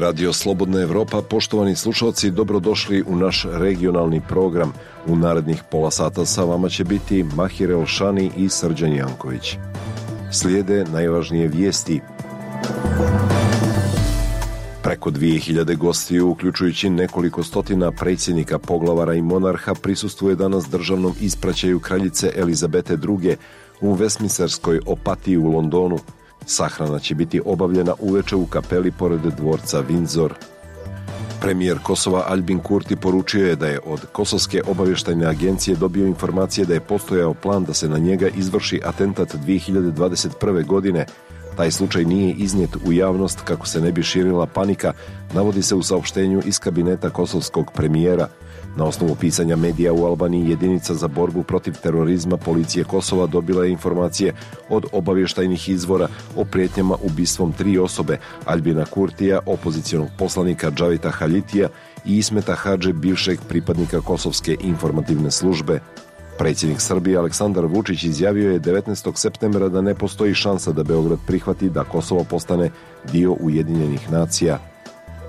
Radio Slobodna Evropa, poštovani slušalci, dobrodošli u naš regionalni program. U narednih pola sata sa vama će biti Mahir Elšani i Srđan Janković. Slijede najvažnije vijesti. Preko 2000 gostiju, uključujući nekoliko stotina predsjednika, poglavara i monarha, prisustvuje danas državnom ispraćaju kraljice Elizabete II. U Westminsterskoj opatiji u Londonu. Sahrana će biti obavljena uveče u kapeli pored dvorca Windsor. Premijer Kosova Aljbin Kurti poručio je da je od Kosovske obavještajne agencije dobio informacije da je postojao plan da se na njega izvrši atentat 2021. godine. Taj slučaj nije iznijet u javnost kako se ne bi širila panika, navodi se u saopštenju iz kabineta kosovskog premijera. Na osnovu pisanja medija u Albaniji, jedinica za borbu protiv terorizma policije Kosova dobila je informacije od obavještajnih izvora o prijetnjama ubistvom 3 osobe, Aljbina Kurtija, opozicionog poslanika Džavita Haljitija i Ismeta Hadže, bivšeg pripadnika Kosovske informativne službe. Predsjednik Srbije Aleksandar Vučić izjavio je 19. septembra da ne postoji šansa da Beograd prihvati da Kosovo postane dio Ujedinjenih nacija.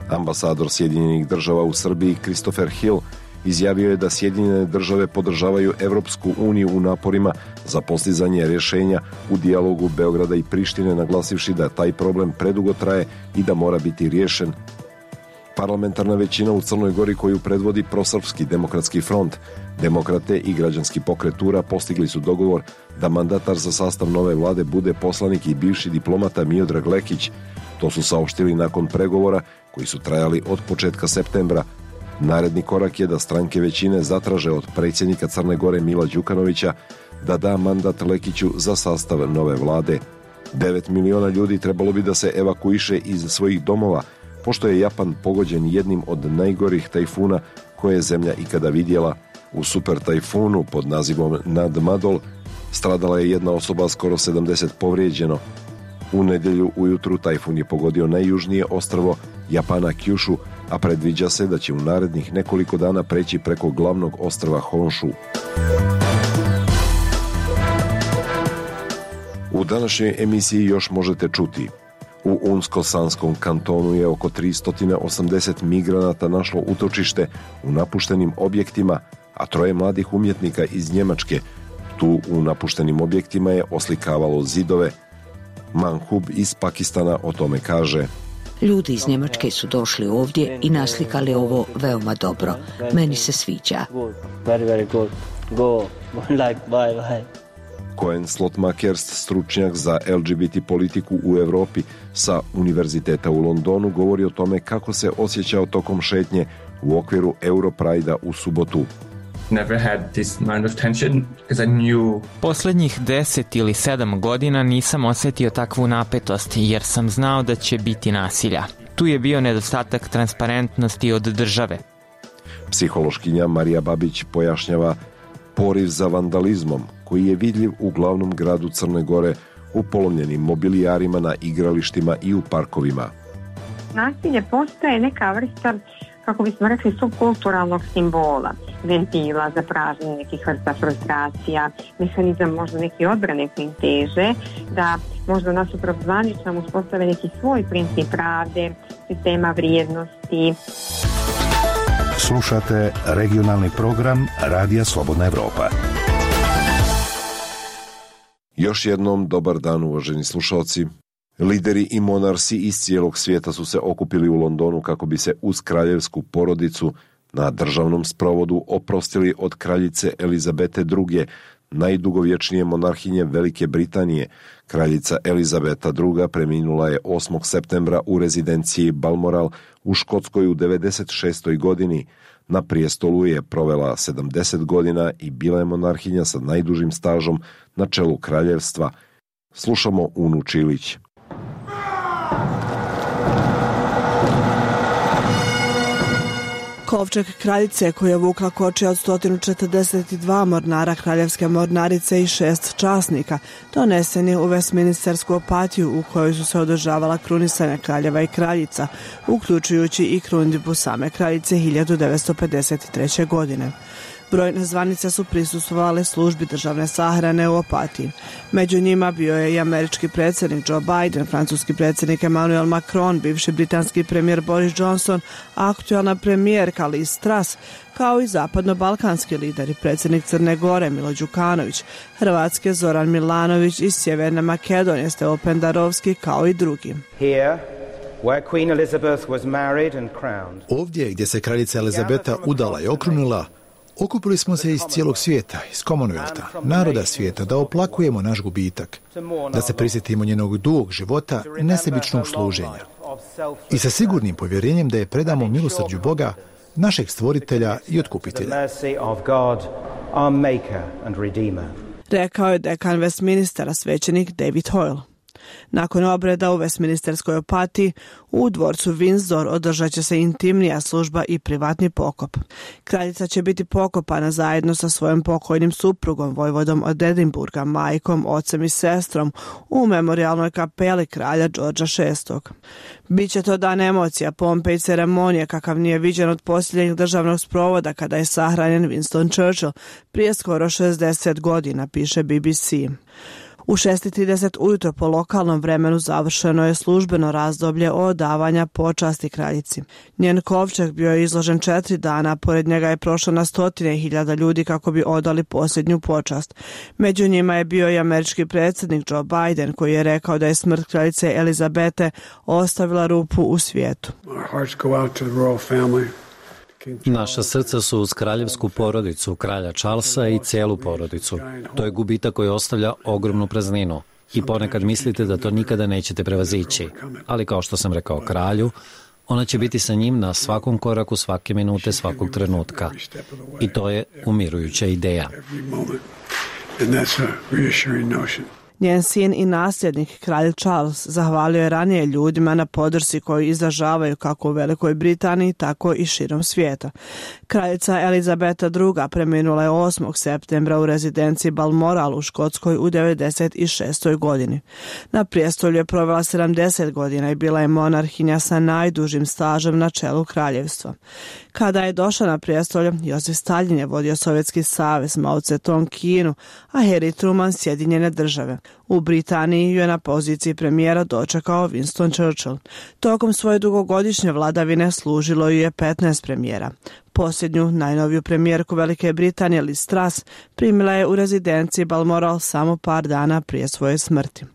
Ambasador Sjedinjenih država u Srbiji Christopher Hill izjavio je da Sjedinjene države podržavaju Evropsku uniju u naporima za postizanje rješenja u dijalogu Beograda i Prištine, naglasivši da taj problem predugo traje i da mora biti riješen. Parlamentarna većina u Crnoj Gori, koju predvodi Prosrpski demokratski front, Demokrate i Građanski pokret Tura, postigli su dogovor da mandatar za sastav nove vlade bude poslanik i bivši diplomata Miodrag Lekić. To su saopštili nakon pregovora koji su trajali od početka septembra. Naredni korak je da stranke većine zatraže od predsjednika Crne Gore Mila Đukanovića da da mandat Lekiću za sastav nove vlade. 9 miliona ljudi trebalo bi da se evakuiše iz svojih domova, pošto je Japan pogođen jednim od najgorih tajfuna koje je zemlja ikada vidjela. U super tajfunu pod nazivom Nadmadol stradala je jedna osoba, skoro 70 povrijeđeno. U nedjelju ujutru tajfun je pogodio najjužnije ostrvo Japana Kyushu, a predviđa se da će u narednih nekoliko dana preći preko glavnog ostrva Honshu. U današnjoj emisiji još možete čuti: u Unsko-Sanskom kantonu je oko 380 migranata našlo utočište u napuštenim objektima, a 3 mladih umjetnika iz Njemačke tu u napuštenim objektima je oslikavalo zidove. Manhub iz Pakistana o tome kaže: ljudi iz Njemačke su došli ovdje i naslikali ovo veoma dobro. Meni se sviđa. Koen Slotmakers, stručnjak za LGBT politiku u Europi sa Univerziteta u Londonu, govori o tome kako se osjećao tokom šetnje u okviru Europride-a u subotu. Posljednjih 10 ili 7 godina nisam osjetio takvu napetost jer sam znao da će biti nasilja. Tu je bio nedostatak transparentnosti od države. Psihološkinja Marija Babić pojašnjava poriv za vandalizmom koji je vidljiv u glavnom gradu Crne Gore, u polomljenim mobilijarima na igralištima i u parkovima. Nasilje postaje neka vrsta, kako bismo rekli, subkulturalnog simbola, ventila za pražnje nekih vrsta frustracija, mehanizam možda neke odbrane kojim teže, da možda nasuprot zvaničnom uspostave neki svoj princip pravde, sistema vrijednosti. Slušate regionalni program Radija Slobodna Evropa. Još jednom dobar dan, uvaženi slušalci. Lideri i monarsi iz cijelog svijeta su se okupili u Londonu kako bi se uz kraljevsku porodicu na državnom sprovodu oprostili od kraljice Elizabete II, najdugovječnije monarhinje Velike Britanije. Kraljica Elizabeta II preminula je 8. septembra u rezidenciji Balmoral u Škotskoj u 96. godini. Na prijestolu je provela 70 godina i bila je monarhinja sa najdužim stažom na čelu kraljevstva. Slušamo Unu Čilić. Kovčeg kraljice koja je vukla kočija od 142 mornara kraljevske mornarice i 6 časnika donesen je u Westminstersku opatiju u kojoj su se održavala krunisanja kraljeva i kraljica, uključujući i krunidbu same kraljice 1953. godine. Brojne zvanice su prisustvovale službi državne sahrane u Opatiji. Među njima bio je i američki predsjednik Joe Biden, francuski predsjednik Emmanuel Macron, bivši britanski premijer Boris Johnson, aktualna premijerka Liz Truss, kao i zapadno-balkanski lideri, predsjednik Crne Gore Milo Đukanović, Hrvatske Zoran Milanović i Sjeverne Makedonije Stevo Pendarovski, kao i drugi. Ovdje gdje se kraljica Elizabeta udala i okrunila, okupili smo se iz cijelog svijeta, iz Commonwealtha, naroda svijeta, da oplakujemo naš gubitak, da se prisjetimo njenog dugog života i nesebičnog služenja. I sa sigurnim povjerenjem da je predamo milosrđu Boga, našeg stvoritelja i otkupitelja. Rekao je dekan Westminstera, svećenik David Hoyle. Nakon obreda u Westminsterskoj Opatiji, u dvorcu Windsor održat će se intimnija služba i privatni pokop. Kraljica će biti pokopana zajedno sa svojim pokojnim suprugom, vojvodom od Edinburga, majkom, ocem i sestrom u memorijalnoj kapeli kralja Đorđa VI. Biće to dan emocija, pompe i ceremonije kakav nije viđen od posljednjeg državnog sprovoda kada je sahranjen Winston Churchill prije skoro 60 godina, piše BBC. U 6:30 ujutro po lokalnom vremenu završeno je službeno razdoblje odavanja počasti kraljici. Njen kovčeg bio je izložen 4 dana, pored njega je prošlo na stotine hiljada ljudi kako bi odali posljednju počast. Među njima je bio i američki predsjednik Joe Biden, koji je rekao da je smrt kraljice Elizabete ostavila rupu u svijetu. Naša srca su uz kraljevsku porodicu, kralja Charlesa i cijelu porodicu. To je gubitak koji ostavlja ogromnu prazninu. I ponekad mislite da to nikada nećete prevazići. Ali kao što sam rekao kralju, ona će biti sa njim na svakom koraku, svake minute, svakog trenutka. I to je umirujuća ideja. Njen sin i nasljednik, kralj Charles, zahvalio je ranije ljudima na podršci koju izražavaju kako u Velikoj Britaniji, tako i širom svijeta. Kraljica Elizabeta II. Preminula je 8. septembra u rezidenciji Balmoral u Škotskoj u 96. godini. Na prijestolju je provela 70 godina i bila je monarhinja sa najdužim stažem na čelu kraljevstva. Kada je došla na prijestolje, Josif Stalin je vodio Sovjetski savez, Mao Tse-tung Kinu, a Harry Truman Sjedinjene države. U Britaniji ju je na poziciji premijera dočekao Winston Churchill. Tokom svoje dugogodišnje vladavine služilo ju je 15 premijera. Posljednju, najnoviju premijerku Velike Britanije, Liz Truss, primila je u rezidenciji Balmoral samo par dana prije svoje smrti.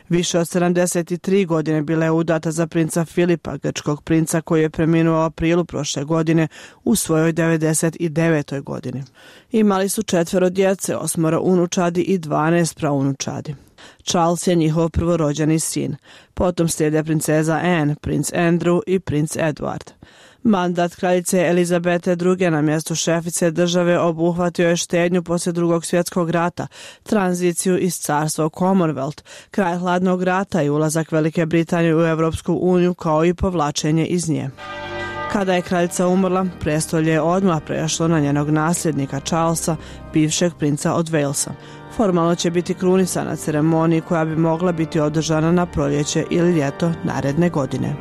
Više od 73 godine bila je udata za princa Filipa, grčkog princa koji je preminuo u aprilu prošle godine u svojoj 99. godini. Imali su 4 djece, 8 unučadi i 12 praunučadi. Charles je njihov prvorođeni sin. Potom slijede princeza Anne, princ Andrew i princ Edward. Mandat kraljice Elizabete II. Na mjestu šefice države obuhvatio je štednju poslije Drugog svjetskog rata, tranziciju iz carstva u Commonwealth, kraj hladnog rata i ulazak Velike Britanije u Europsku uniju kao i povlačenje iz nje. Kada je kraljica umrla, prestolje je odmah prešlo na njenog nasljednika Charlesa, bivšeg princa od Walesa. Formalno će biti krunisana ceremoniji koja bi mogla biti održana na proljeće ili ljeto naredne godine.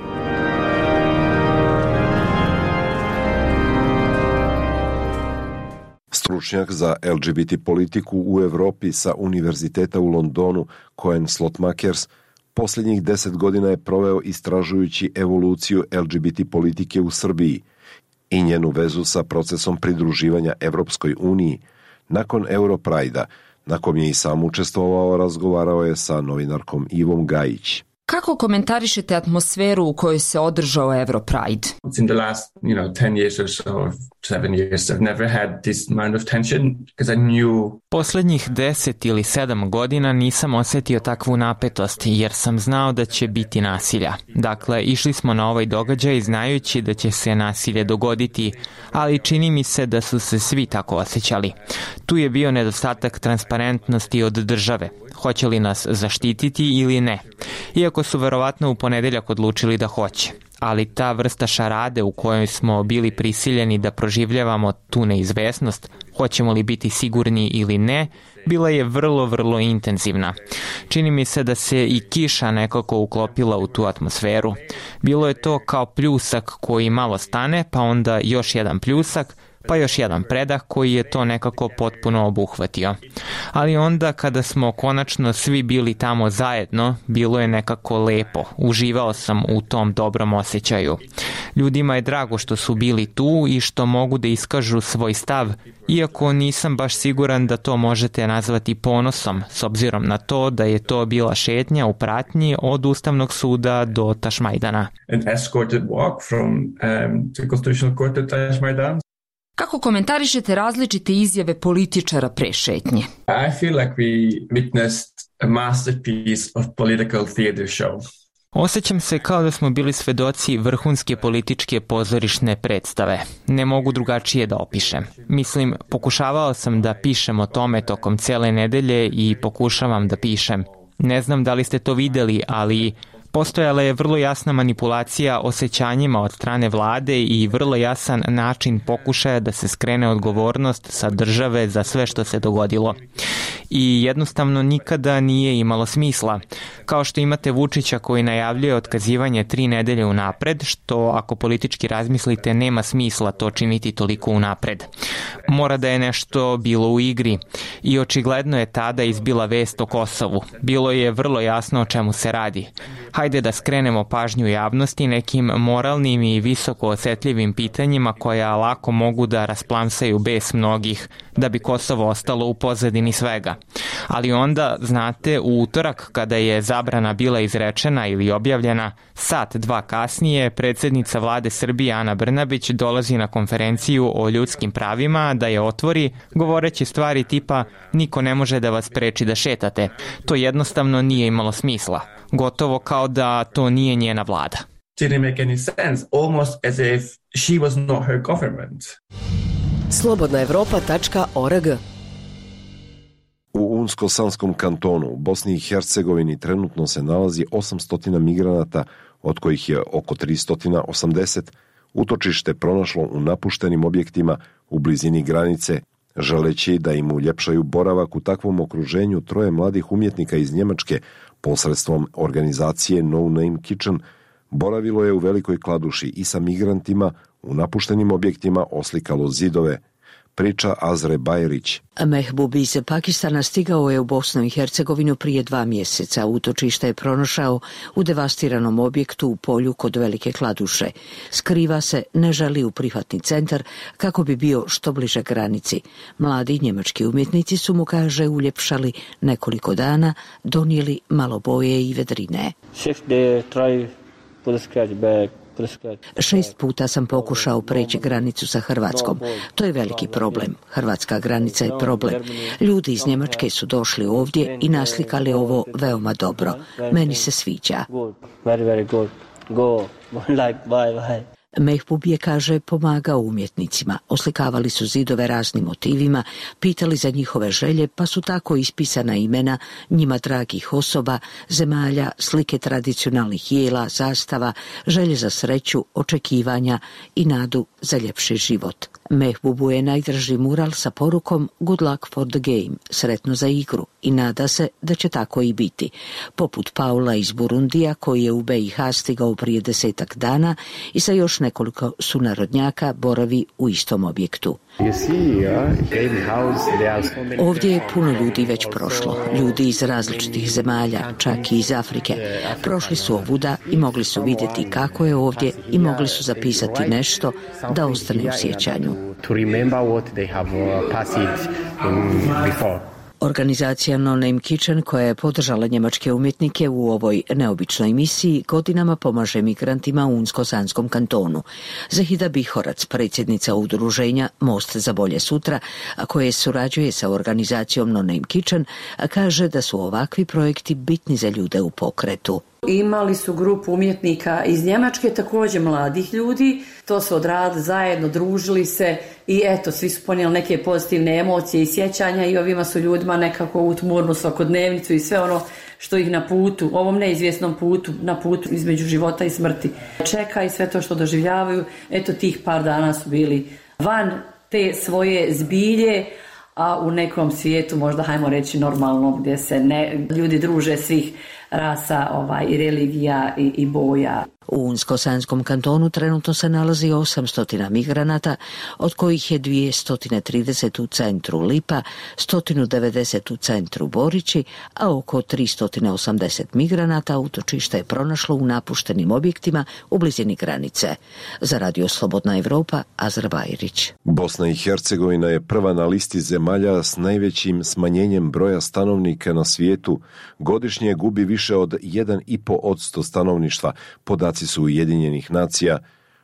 Stručnjak za LGBT politiku u Europi sa Univerziteta u Londonu, Cohen Slotmakers, posljednjih 10 godina je proveo istražujući evoluciju LGBT politike u Srbiji i njenu vezu sa procesom pridruživanja Evropskoj uniji. Nakon Europrajda, na kom je i sam učestvovao, razgovarao je sa novinarkom Ivom Gajić. Kako komentarišete atmosferu u kojoj se održao Europride? In the last, 10 years or so, 7 years, I've never had this amount of tension because I knew. Poslednjih 10 ili 7 godina nisam osjetio takvu napetost jer sam znao da će biti nasilja. Dakle, išli smo na ovaj događaj znajući da će se nasilje dogoditi, ali čini mi se da su se svi tako osjećali. Tu je bio nedostatak transparentnosti od države. Hoće li nas zaštititi ili ne? Iako su verovatno u ponedeljak odlučili da hoće. Ali ta vrsta šarade u kojoj smo bili prisiljeni da proživljavamo tu neizvesnost, hoćemo li biti sigurni ili ne, bila je vrlo, vrlo intenzivna. Čini mi se da se i kiša nekako uklopila u tu atmosferu. Bilo je to kao pljusak koji malo stane, pa onda još jedan pljusak, pa još jedan predah koji je to nekako potpuno obuhvatio. Ali onda kada smo konačno svi bili tamo zajedno, bilo je nekako lepo. Uživao sam u tom dobrom osjećaju. Ljudima je drago što su bili tu i što mogu da iskažu svoj stav, iako nisam baš siguran da to možete nazvati ponosom, s obzirom na to da je to bila šetnja u pratnji od Ustavnog suda do Tašmajdana. An escorted walk from the Constitutional Court to Tašmajdan. Kako komentarišete različite izjave političara pre šetnje? I feel like we witnessed a masterpiece of political theater show. Osjećam se kao da smo bili svedoci vrhunske političke pozorišne predstave. Ne mogu drugačije da opišem. Mislim, pokušavao sam da pišem o tome tokom cele nedelje i pokušavam da pišem. Ne znam da li ste to videli, ali postojala je vrlo jasna manipulacija osjećanjima od strane vlade i vrlo jasan način pokušaja da se skrene odgovornost sa države za sve što se dogodilo. I jednostavno nikada nije imalo smisla. Kao što imate Vučića koji najavljuje otkazivanje 3 nedelje unapred, što ako politički razmislite nema smisla to činiti toliko unapred. Mora da je nešto bilo u igri i očigledno je tada izbila vest o Kosovu. Bilo je vrlo jasno o čemu se radi. Hajde da skrenemo pažnju javnosti nekim moralnim i visoko osetljivim pitanjima koja lako mogu da rasplamsaju bes mnogih, da bi Kosovo ostalo u pozadini svega. Ali onda, znate, u utorak kada je zabrana bila izrečena ili objavljena, sat, dva kasnije, predsjednica vlade Srbije Ana Brnabić dolazi na konferenciju o ljudskim pravima da je otvori, govoreći stvari tipa niko ne može da vas preči da šetate. To jednostavno nije imalo smisla. Gotovo kao da to nije njena vlada. Didn't make any sense, almost as if she was not her government. Slobodnaevropa.org. U Unsko-Sanskom kantonu u Bosni i Hercegovini trenutno se nalazi 800 migranata, od kojih je oko 380 utočište pronašlo u napuštenim objektima u blizini granice. Želeći da im uljepšaju boravak u takvom okruženju, 3 mladih umjetnika iz Njemačke posredstvom organizacije No Name Kitchen boravilo je u Velikoj Kladuši i sa migrantima u napuštenim objektima oslikalo zidove. Priča Azre Bajrić. Mehbub iz Pakistana stigao je u Bosnu i Hercegovinu prije 2 mjeseca. Utočište je pronašao u devastiranom objektu u polju kod Velike Kladuše. Skriva se, ne želi u prihvatni centar kako bi bio što bliže granici. Mladi njemački umjetnici su mu, kaže, uljepšali nekoliko dana, donijeli malo boje i vedrine. 6 puta sam pokušao preći granicu sa Hrvatskom. To je veliki problem. Hrvatska granica je problem. Ljudi iz Njemačke su došli ovdje i naslikali ovo veoma dobro. Meni se sviđa. Mehbub je, kaže, pomagao umjetnicima. Oslikavali su zidove raznim motivima, pitali za njihove želje, pa su tako ispisana imena njima dragih osoba, zemalja, slike tradicionalnih jela, zastava, želje za sreću, očekivanja i nadu za ljepši život. Mehbubu je najdraži mural sa porukom Good luck for the game, sretno za igru, i nada se da će tako i biti. Poput Paula iz Burundija, koji je u BiH stigao prije 10 dana i sa još nekoliko sunarodnjaka boravi u istom objektu. Ovdje je puno ljudi već prošlo, ljudi iz različitih zemalja, čak i iz Afrike. Prošli su ovuda i mogli su vidjeti kako je ovdje i mogli su zapisati nešto da ostane u sjećanju. Organizacija No Name Kitchen, koja je podržala njemačke umjetnike u ovoj neobičnoj misiji, godinama pomaže migrantima u Unsko-Sanskom kantonu. Zahida Bihorac, predsjednica udruženja Most za bolje sutra, a koje surađuje sa organizacijom No Name Kitchen, kaže da su ovakvi projekti bitni za ljude u pokretu. Imali su grupu umjetnika iz Njemačke, također mladih ljudi, to su odradili zajedno, družili se i eto, svi su ponijeli neke pozitivne emocije i sjećanja i ovima su ljudima nekako utmurnu svakodnevnicu i sve ono što ih na putu, ovom neizvjesnom putu, na putu između života i smrti čeka i sve to što doživljavaju. Eto, tih par dana su bili van te svoje zbilje, a u nekom svijetu, možda hajmo reći normalno, gdje se ljudi druže svih rasa i religija i boja. U Unsko-Sanskom kantonu trenutno se nalazi 800 migranata, od kojih je 230 u centru Lipa, 190 u centru Borići, a oko 380 migranata utočište je pronašlo u napuštenim objektima u blizini granice. Za Radio Slobodna Evropa, Azra Bajrić. Bosna i Hercegovina je prva na listi zemalja s najvećim smanjenjem broja stanovnika na svijetu. Godišnje gubi više od 1,5% stanovništva, podaci su Ujedinjenih nacija.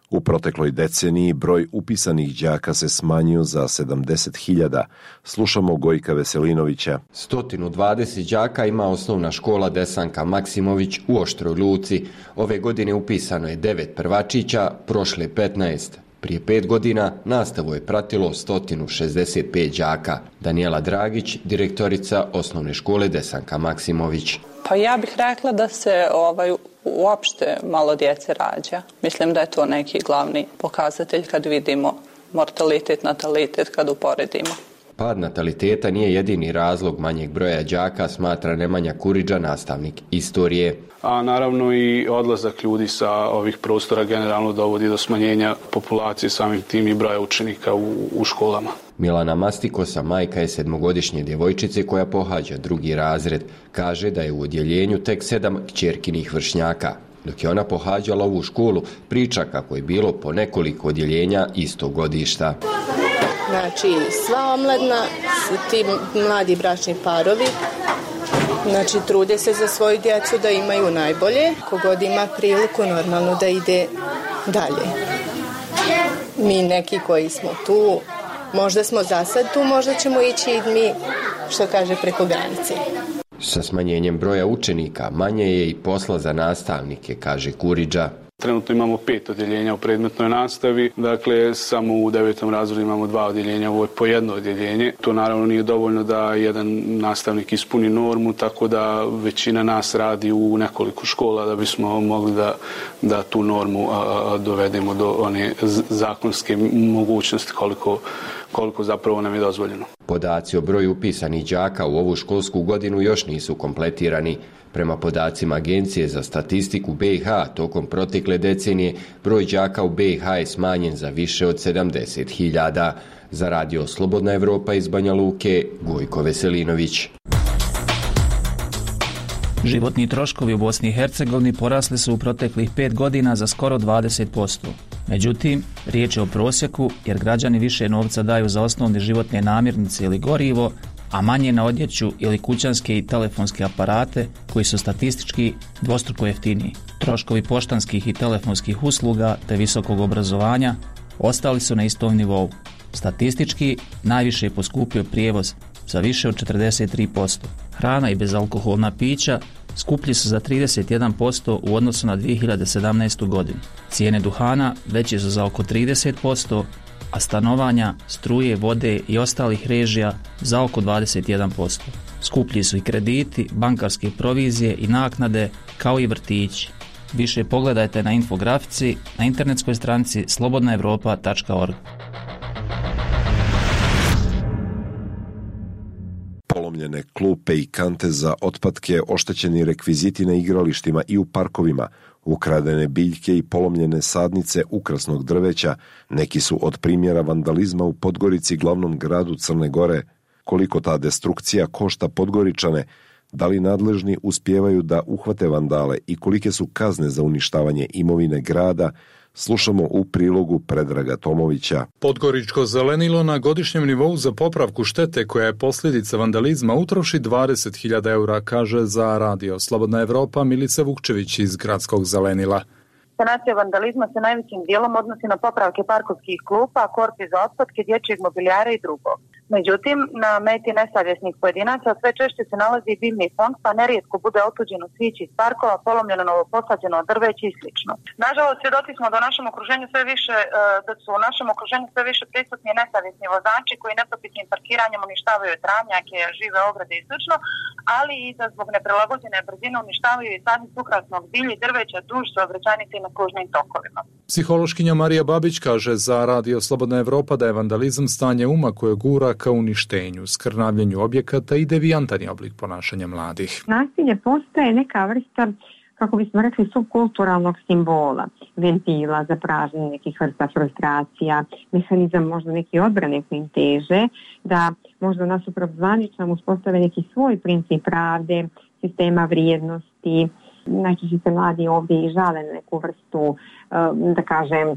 U protekloj deceniji broj upisanih đaka se smanjio za 70.000. Slušamo Gojka Veselinovića. 120 đaka ima osnovna škola Desanka Maksimović u Oštroj Luci. Ove godine upisano je 9 prvačića, prošle 15. Prije 5 godina nastavu je pratilo 165 đaka. Danijela Dragić, direktorica osnovne škole Desanka Maksimović. Pa ja bih rekla da se uopšte malo djece rađa. Mislim da je to neki glavni pokazatelj kad vidimo mortalitet, natalitet, kad uporedimo. Pad nataliteta nije jedini razlog manjeg broja đaka, smatra Nemanja Kuriđa, nastavnik istorije. A naravno i odlazak ljudi sa ovih prostora generalno dovodi do smanjenja populacije, samim tim i broja učenika u školama. Milana Mastikosa, majka je 7-godišnje djevojčice koja pohađa 2. razred. Kaže da je u odjeljenju tek 7 kćerkinih vršnjaka. Dok je ona pohađala ovu školu, priča kako je bilo po nekoliko odjeljenja istog godišta. Znači, sva omladna, ti mladi bračni parovi, znači trude se za svoju djecu da imaju najbolje, kogod ima priliku normalno da ide dalje. Mi neki koji smo tu, možda smo za sad tu, možda ćemo ići i mi, što kaže, preko granice. Sa smanjenjem broja učenika manje je i posla za nastavnike, kaže Kuriđa. Trenutno imamo 5 odjeljenja u predmetnoj nastavi, dakle samo u 9. razredu imamo 2 odjeljenja, ovo je po jedno odjeljenje. To naravno nije dovoljno da jedan nastavnik ispuni normu, tako da većina nas radi u nekoliko škola da bismo mogli da tu normu dovedemo do one zakonske mogućnosti koliko zapravo nam je dozvoljeno. Podaci o broju upisanih đaka u ovu školsku godinu još nisu kompletirani. Prema podacima Agencije za statistiku BiH, tokom protekle decenije broj đaka u BiH je smanjen za više od 70.000. Za Radio Slobodna Evropa iz Banja Luke, Gojko Veselinović. Životni troškovi u Bosni i Hercegovini porasli su u proteklih 5 godina za skoro 20%. Međutim, riječ je o prosjeku jer građani više novca daju za osnovne životne namirnice ili gorivo, a manje na odjeću ili kućanske i telefonske aparate koji su statistički dvostruko jeftiniji. Troškovi poštanskih i telefonskih usluga te visokog obrazovanja ostali su na istom nivou. Statistički najviše je poskupio prijevoz za više od 43%. Hrana i bezalkoholna pića skuplji su za 31% u odnosu na 2017. godinu. Cijene duhana veće su za oko 30%, a stanovanja, struje, vode i ostalih režija za oko 21%. Skuplji su i krediti, bankarske provizije i naknade, kao i vrtići. Više pogledajte na infografici na internetskoj stranici slobodnaevropa.org. Polomljene klupe i kante za otpadke, oštećeni rekviziti na igralištima i u parkovima, ukradene biljke i polomljene sadnice ukrasnog drveća, neki su od primjera vandalizma u Podgorici, glavnom gradu Crne Gore. Koliko ta destrukcija košta Podgoričane, da li nadležni uspijevaju da uhvate vandale i kolike su kazne za uništavanje imovine grada, slušamo u prilogu Predraga Tomovića. Podgoričko zelenilo na godišnjem nivou za popravku štete koja je posljedica vandalizma utroši 20.000 eura, kaže za Radio Slobodna Evropa Milica Vukčević iz gradskog zelenila. Sanacija vandalizma se najvećim dijelom odnosi na popravke parkovskih klupa, korpi za otpadke, dječjeg mobilijara i drugo. Međutim, na meti nesavjesnih pojedinaca sve češće se nalazi i biljni fond, pa nerijetko bude otuđeno cvijeće iz parkova, polomljeno novoposađeno drveće i slično. Nažalost, svjedoci smo da su u našem okruženju sve više prisutni nesavjesni vozači koji nepropitnim parkiranjem uništavaju travnjake, žive ograde i slično, ali i da zbog neprilagođene brzine uništavaju i sadnje ukrasnog bilja, drveća, duž, saobraćajnice na kružnim tokovima. Psihološkinja Marija Babić kaže za Radio Slobodna Evropa da je vandalizam stanje uma koje gura ka uništenju, skrnavljenju objekata i devijantan je oblik ponašanja mladih. Nasilje postaje neka vrsta, kako bismo rekli, subkulturalnog simbola, ventila za pražnjenje nekih vrsta frustracija, mehanizam možda neke odbrane koji im teže, da možda nasuprot zvaničnom uspostave neki svoj princip pravde, sistema vrijednosti. Najčešće se mladi ovdje i žale na neku vrstu, da kažem,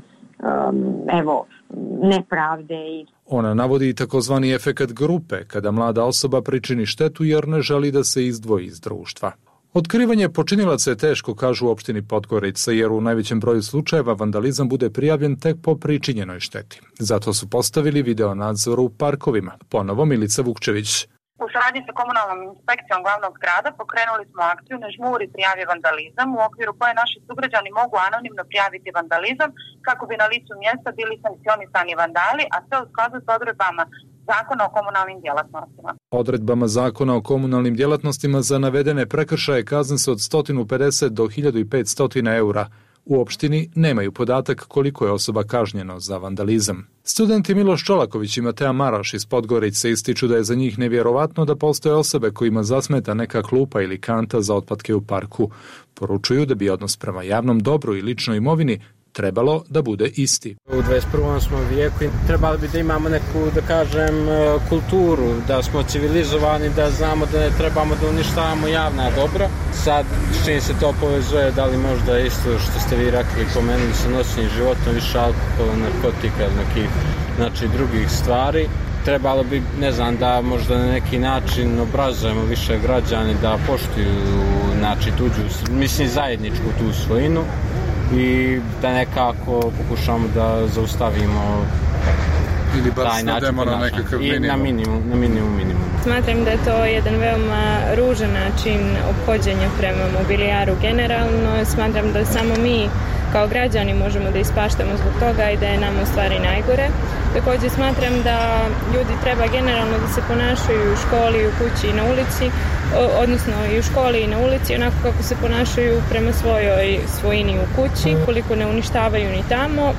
nepravde. Ona navodi i takozvani efekat grupe, kada mlada osoba pričini štetu jer ne želi da se izdvoji iz društva. Otkrivanje počinilaca je teško, kažu u opštini Podgorica, jer u najvećem broju slučajeva vandalizam bude prijavljen tek po pričinjenoj šteti. Zato su postavili video nadzor u parkovima. Ponovo Milica Vukčević. U saradnji sa komunalnom inspekcijom glavnog grada pokrenuli smo akciju Ne žmuri prijavi vandalizam, u okviru koje naši sugrađani mogu anonimno prijaviti vandalizam kako bi na licu mjesta bili sankcionisani vandali, a sve u skladu s odredbama Zakona o komunalnim djelatnostima. Odredbama Zakona o komunalnim djelatnostima za navedene prekršaje kazne se od 150 do 1500 eura. U opštini nemaju podatak koliko je osoba kažnjeno za vandalizam. Studenti Miloš Čolaković i Mateja Maraš iz Podgorice ističu da je za njih nevjerovatno da postoje osobe kojima zasmeta neka klupa ili kanta za otpadke u parku. Poručuju da bi odnos prema javnom dobru i ličnoj imovini trebalo da bude isti. U 21. smo vijeku i trebali bi da imamo neku, da kažem, kulturu, da smo civilizovani, da znamo da ne trebamo da uništavamo javna dobra. Sad, s čim se to povezuje, da li možda isto što ste vi rekli, pomenuli sa noćnim životom, više alkohola, narkotika, nekih drugih stvari. Trebalo bi, ne znam, da možda na neki način obrazujemo više građani da poštuju tuđu, zajedničku tu svojinu i da nekako pokušamo da zaustavimo ili bar svedemo na nekakav minimum. Na minimum. Smatram da je to jedan veoma ružan način ophođenja prema mobilijaru generalno. Smatram da samo mi kao građani možemo da ispaštamo zbog toga i da je nam u stvari najgore. Također smatram da ljudi treba generalno da se ponašaju u školi, u kući i na ulici, odnosno i u školi i na ulici, onako kako se ponašaju prema svojoj svojini u kući, koliko ne uništavaju ni tamo,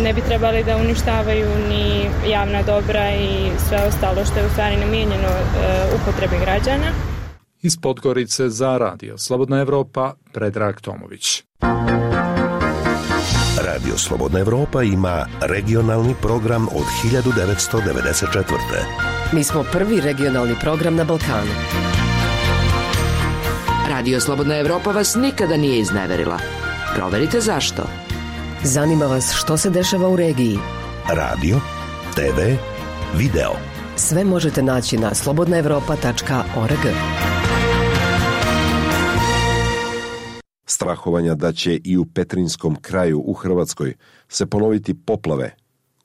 ne bi trebali da uništavaju ni javna dobra i sve ostalo što je u stvari namijenjeno upotrebi građana. Iz Podgorice za Radio Slobodna Evropa, Predrag Tomović. Radio Slobodna Evropa ima regionalni program od 1994. Mi smo prvi regionalni program na Balkanu. Radio Slobodna Evropa vas nikada nije izneverila. Proverite zašto. Zanima vas što se dešava u regiji. Radio, TV, video. Sve možete naći na slobodnaevropa.org. Strahovanja da će i u Petrinjskom kraju u Hrvatskoj se ponoviti poplave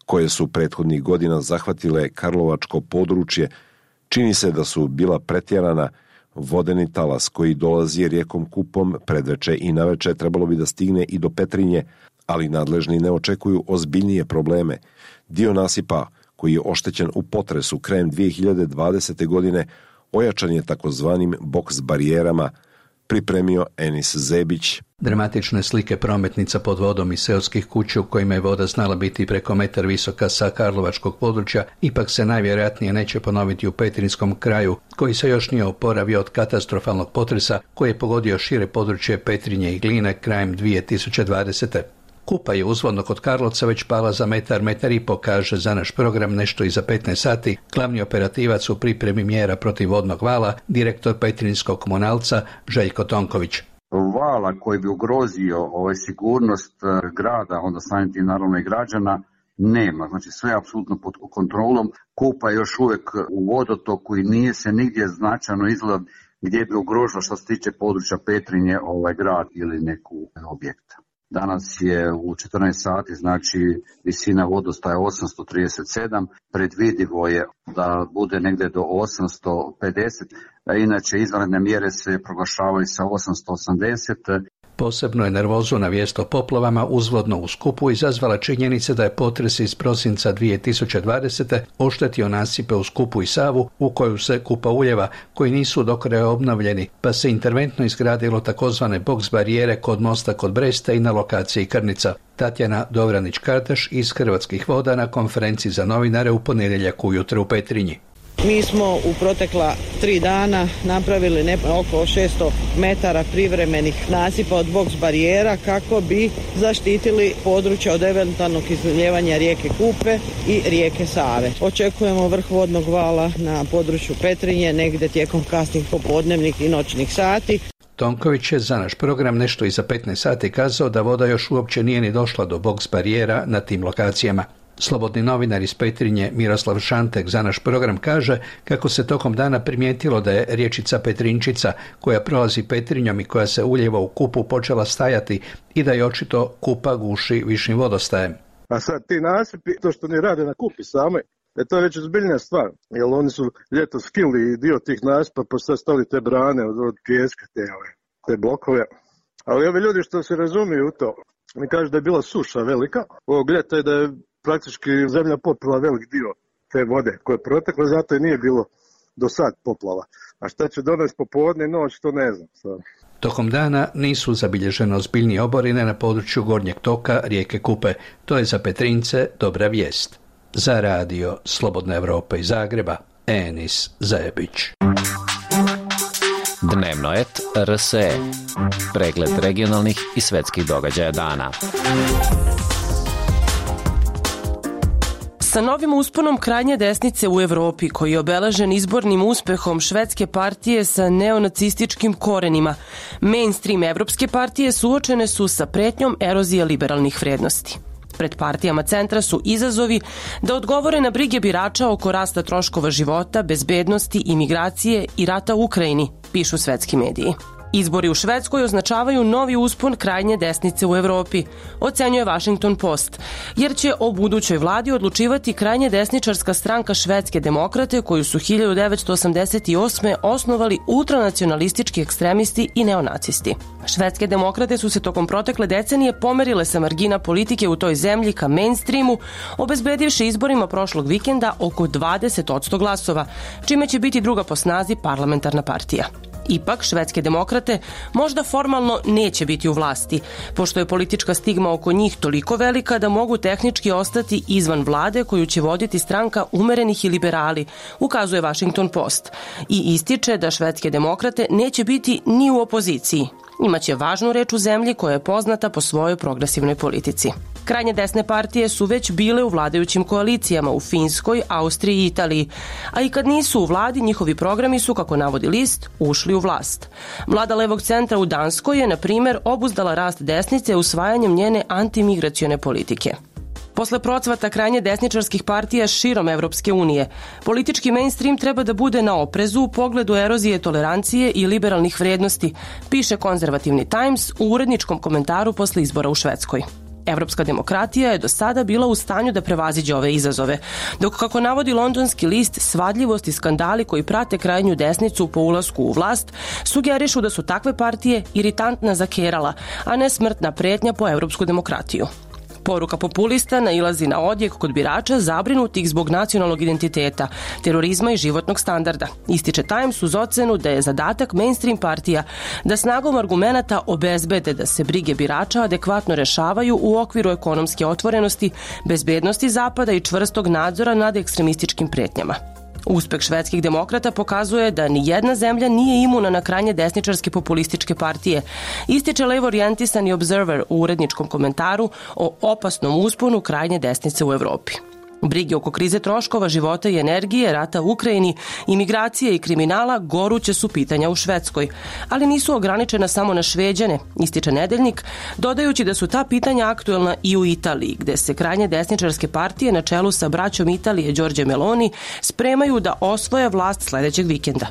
koje su prethodnih godina zahvatile karlovačko područje, čini se da su bila pretjerana. Vodeni talas koji dolazi rijekom Kupom predveče i naveče trebalo bi da stigne i do Petrinje, ali nadležni ne očekuju ozbiljnije probleme. Dio nasipa koji je oštećen u potresu krajem 2020. godine ojačan je takozvanim boks barijerama, pripremio Enis Zebić. Dramatične slike prometnica pod vodom i seoskih kuća u kojima je voda znala biti preko metar visoka sa karlovačkog područja ipak se najvjerojatnije neće ponoviti u Petrinjskom kraju, koji se još nije oporavio od katastrofalnog potresa koji je pogodio šire područje Petrinje i Gline krajem 2020. Kupa je uzvodno kod Karlovca već pala za metar i po, kaže za naš program nešto iza 15 sati glavni operativac u pripremi mjera protiv vodnog vala, direktor Petrinjskog komunalca Željko Tonković. Vala koji bi ugrozio sigurnost grada, onda samim tim naravno i građana, nema. Znači sve je apsolutno pod kontrolom. Kupa je još uvijek u vodotoku i nije se nigdje značajno izgleda gdje bi ugrožila što se tiče područja Petrinje grad ili neku objekta. Danas je u 14 sati, znači visina vodostaja 837, predvidivo je da bude negdje do 850, a inače izvanredne mjere se proglašavaju sa 880. Posebno je nervozu na vijest o poplavama uzvodno u Skupu izazvala činjenica da je potres iz prosinca 2020. oštetio nasipe u Skupu i Savu u koju se Kupa uljeva, koji nisu do kraja obnovljeni, pa se interventno izgradilo takozvane boks barijere kod mosta kod Bresta i na lokaciji Krnica. Tatjana Dovranić-Kartaš iz Hrvatskih voda na konferenciji za novinare u ponedjeljak ujutro u Petrinji. Mi smo u protekla 3 dana napravili oko 600 metara privremenih nasipa od boks barijera kako bi zaštitili područje od eventualnog izlijevanja rijeke Kupe i rijeke Save. Očekujemo vrh vodnog vala na području Petrinje negdje tijekom kasnih popodnevnih i noćnih sati. Tonković je za naš program nešto iza 15 sati kazao da voda još uopće nije ni došla do boks barijera na tim lokacijama. Slobodni novinar iz Petrinje Miroslav Šantek za naš program kaže kako se tokom dana primijetilo da je riječica Petrinčica koja prolazi Petrinjom i koja se ulijeva u Kupu počela stajati i da je očito Kupa guši višim vodostajem. A sad ti nasipi, to što oni rade na Kupi same, to je već ozbiljna stvar, jer oni su ljeto skinuli dio tih nasipa pa sad stali te brane od pijeska, te blokove. Ali ovi ljudi što se razumiju u to, mi kažu da je bila suša velika, ovog ljeta je da je praktički zemlja popila velik dio te vode koje je protekla, zato i nije bilo do sad poplava. A šta će donesti popodne i noć, to ne znam. Tokom dana nisu zabilježene ozbiljnije oborine na području gornjeg toka rijeke Kupe. To je za Petrinjce dobra vijest. Za radio Slobodna Evropa iz Zagreba, Enis Zajebić. Dnevnoet RSE. Pregled regionalnih i svetskih događaja dana. Sa novim usponom krajnje desnice u Evropi, koji je obeležen izbornim uspehom švedske partije sa neonacističkim korenima, mainstream evropske partije suočene su sa pretnjom erozije liberalnih vrednosti. Pred partijama centra su izazovi da odgovore na brige birača oko rasta troškova života, bezbednosti, imigracije i rata u Ukrajini, pišu svetski mediji. Izbori u Švedskoj označavaju novi uspon krajnje desnice u Evropi, ocenjuje Washington Post, jer će o budućoj vladi odlučivati krajnje desničarska stranka Švedske demokrate koju su 1988. osnovali ultranacionalistički ekstremisti i neonacisti. Švedske demokrate su se tokom protekle decenije pomerile sa margina politike u toj zemlji ka mainstreamu, obezbedivši izborima prošlog vikenda oko 20% glasova, čime će biti druga po snazi parlamentarna partija. Ipak, švedske demokrate možda formalno neće biti u vlasti, pošto je politička stigma oko njih toliko velika da mogu tehnički ostati izvan vlade koju će voditi stranka umerenih i liberali, ukazuje Washington Post, i ističe da švedske demokrate neće biti ni u opoziciji. Imaće važnu reč u zemlji koja je poznata po svojoj progresivnoj politici. Krajnje desne partije su već bile u vladajućim koalicijama u Finskoj, Austriji i Italiji, a i kad nisu u vladi, njihovi programi su, kako navodi list, ušli u vlast. Vlada levog centra u Danskoj je, na primjer, obuzdala rast desnice usvajanjem njene antimigracione politike. Posle procvata krajnje desničarskih partija širom Evropske unije, politički mainstream treba da bude na oprezu u pogledu erozije tolerancije i liberalnih vrednosti, piše konzervativni Times u uredničkom komentaru posle izbora u Švedskoj. Evropska demokratija je do sada bila u stanju da prevaziđe ove izazove, dok, kako navodi londonski list, svadljivost i skandali koji prate krajnju desnicu po ulasku u vlast sugerišu da su takve partije iritantna zakerala, a ne smrtna pretnja po evropsku demokratiju. Poruka populista nailazi na odjek kod birača zabrinutih zbog nacionalnog identiteta, terorizma i životnog standarda. Ističe Times uz ocenu da je zadatak mainstream partija da snagom argumenata obezbede da se brige birača adekvatno rešavaju u okviru ekonomske otvorenosti, bezbednosti Zapada i čvrstog nadzora nad ekstremističkim pretnjama. Uspeh švedskih demokrata pokazuje da ni jedna zemlja nije imuna na krajnje desničarske populističke partije, ističe levo-orijentisani Observer u uredničkom komentaru o opasnom usponu krajnje desnice u Evropi. Brige oko krize troškova života i energije, rata u Ukrajini, imigracije i kriminala goruće su pitanja u Švedskoj, ali nisu ograničena samo na Šveđane, ističe Nedeljnik, dodajući da su ta pitanja aktuelna i u Italiji, gde se krajnje desničarske partije na čelu sa braćom Italije Đorđe Meloni spremaju da osvoje vlast sledećeg vikenda.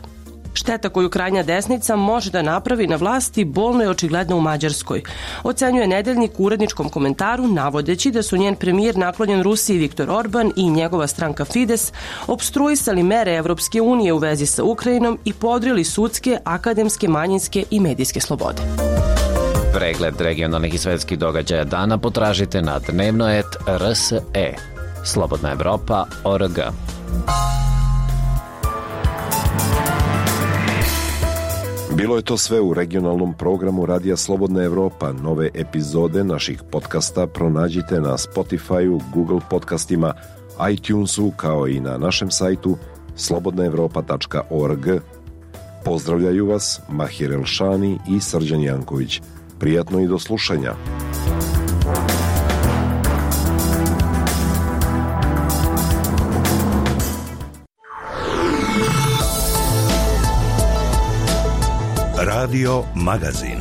Šteta koju krajnja desnica može da napravi na vlasti bolno je očigledno u Mađarskoj, ocenjuje Nedeljnik u uredničkom komentaru, navodeći da su njen premijer naklonjen Rusiji Viktor Orban i njegova stranka Fides opstruisali mere Evropske unije u vezi sa Ukrajinom i podrili sudske, akademske, manjinske i medijske slobode. Pregled regionalnih i svetskih događaja dana potražite na dnevnoet.rse. Slobodna Evropa.org. Bilo je to sve u regionalnom programu Radija Slobodna Evropa. Nove epizode naših podcasta pronađite na Spotify-u, Google podcastima, iTunesu, kao i na našem sajtu slobodnaevropa.org. Pozdravljaju vas Mahir Elšani i Srđan Janković. Prijatno i do slušanja. Radio Magazin.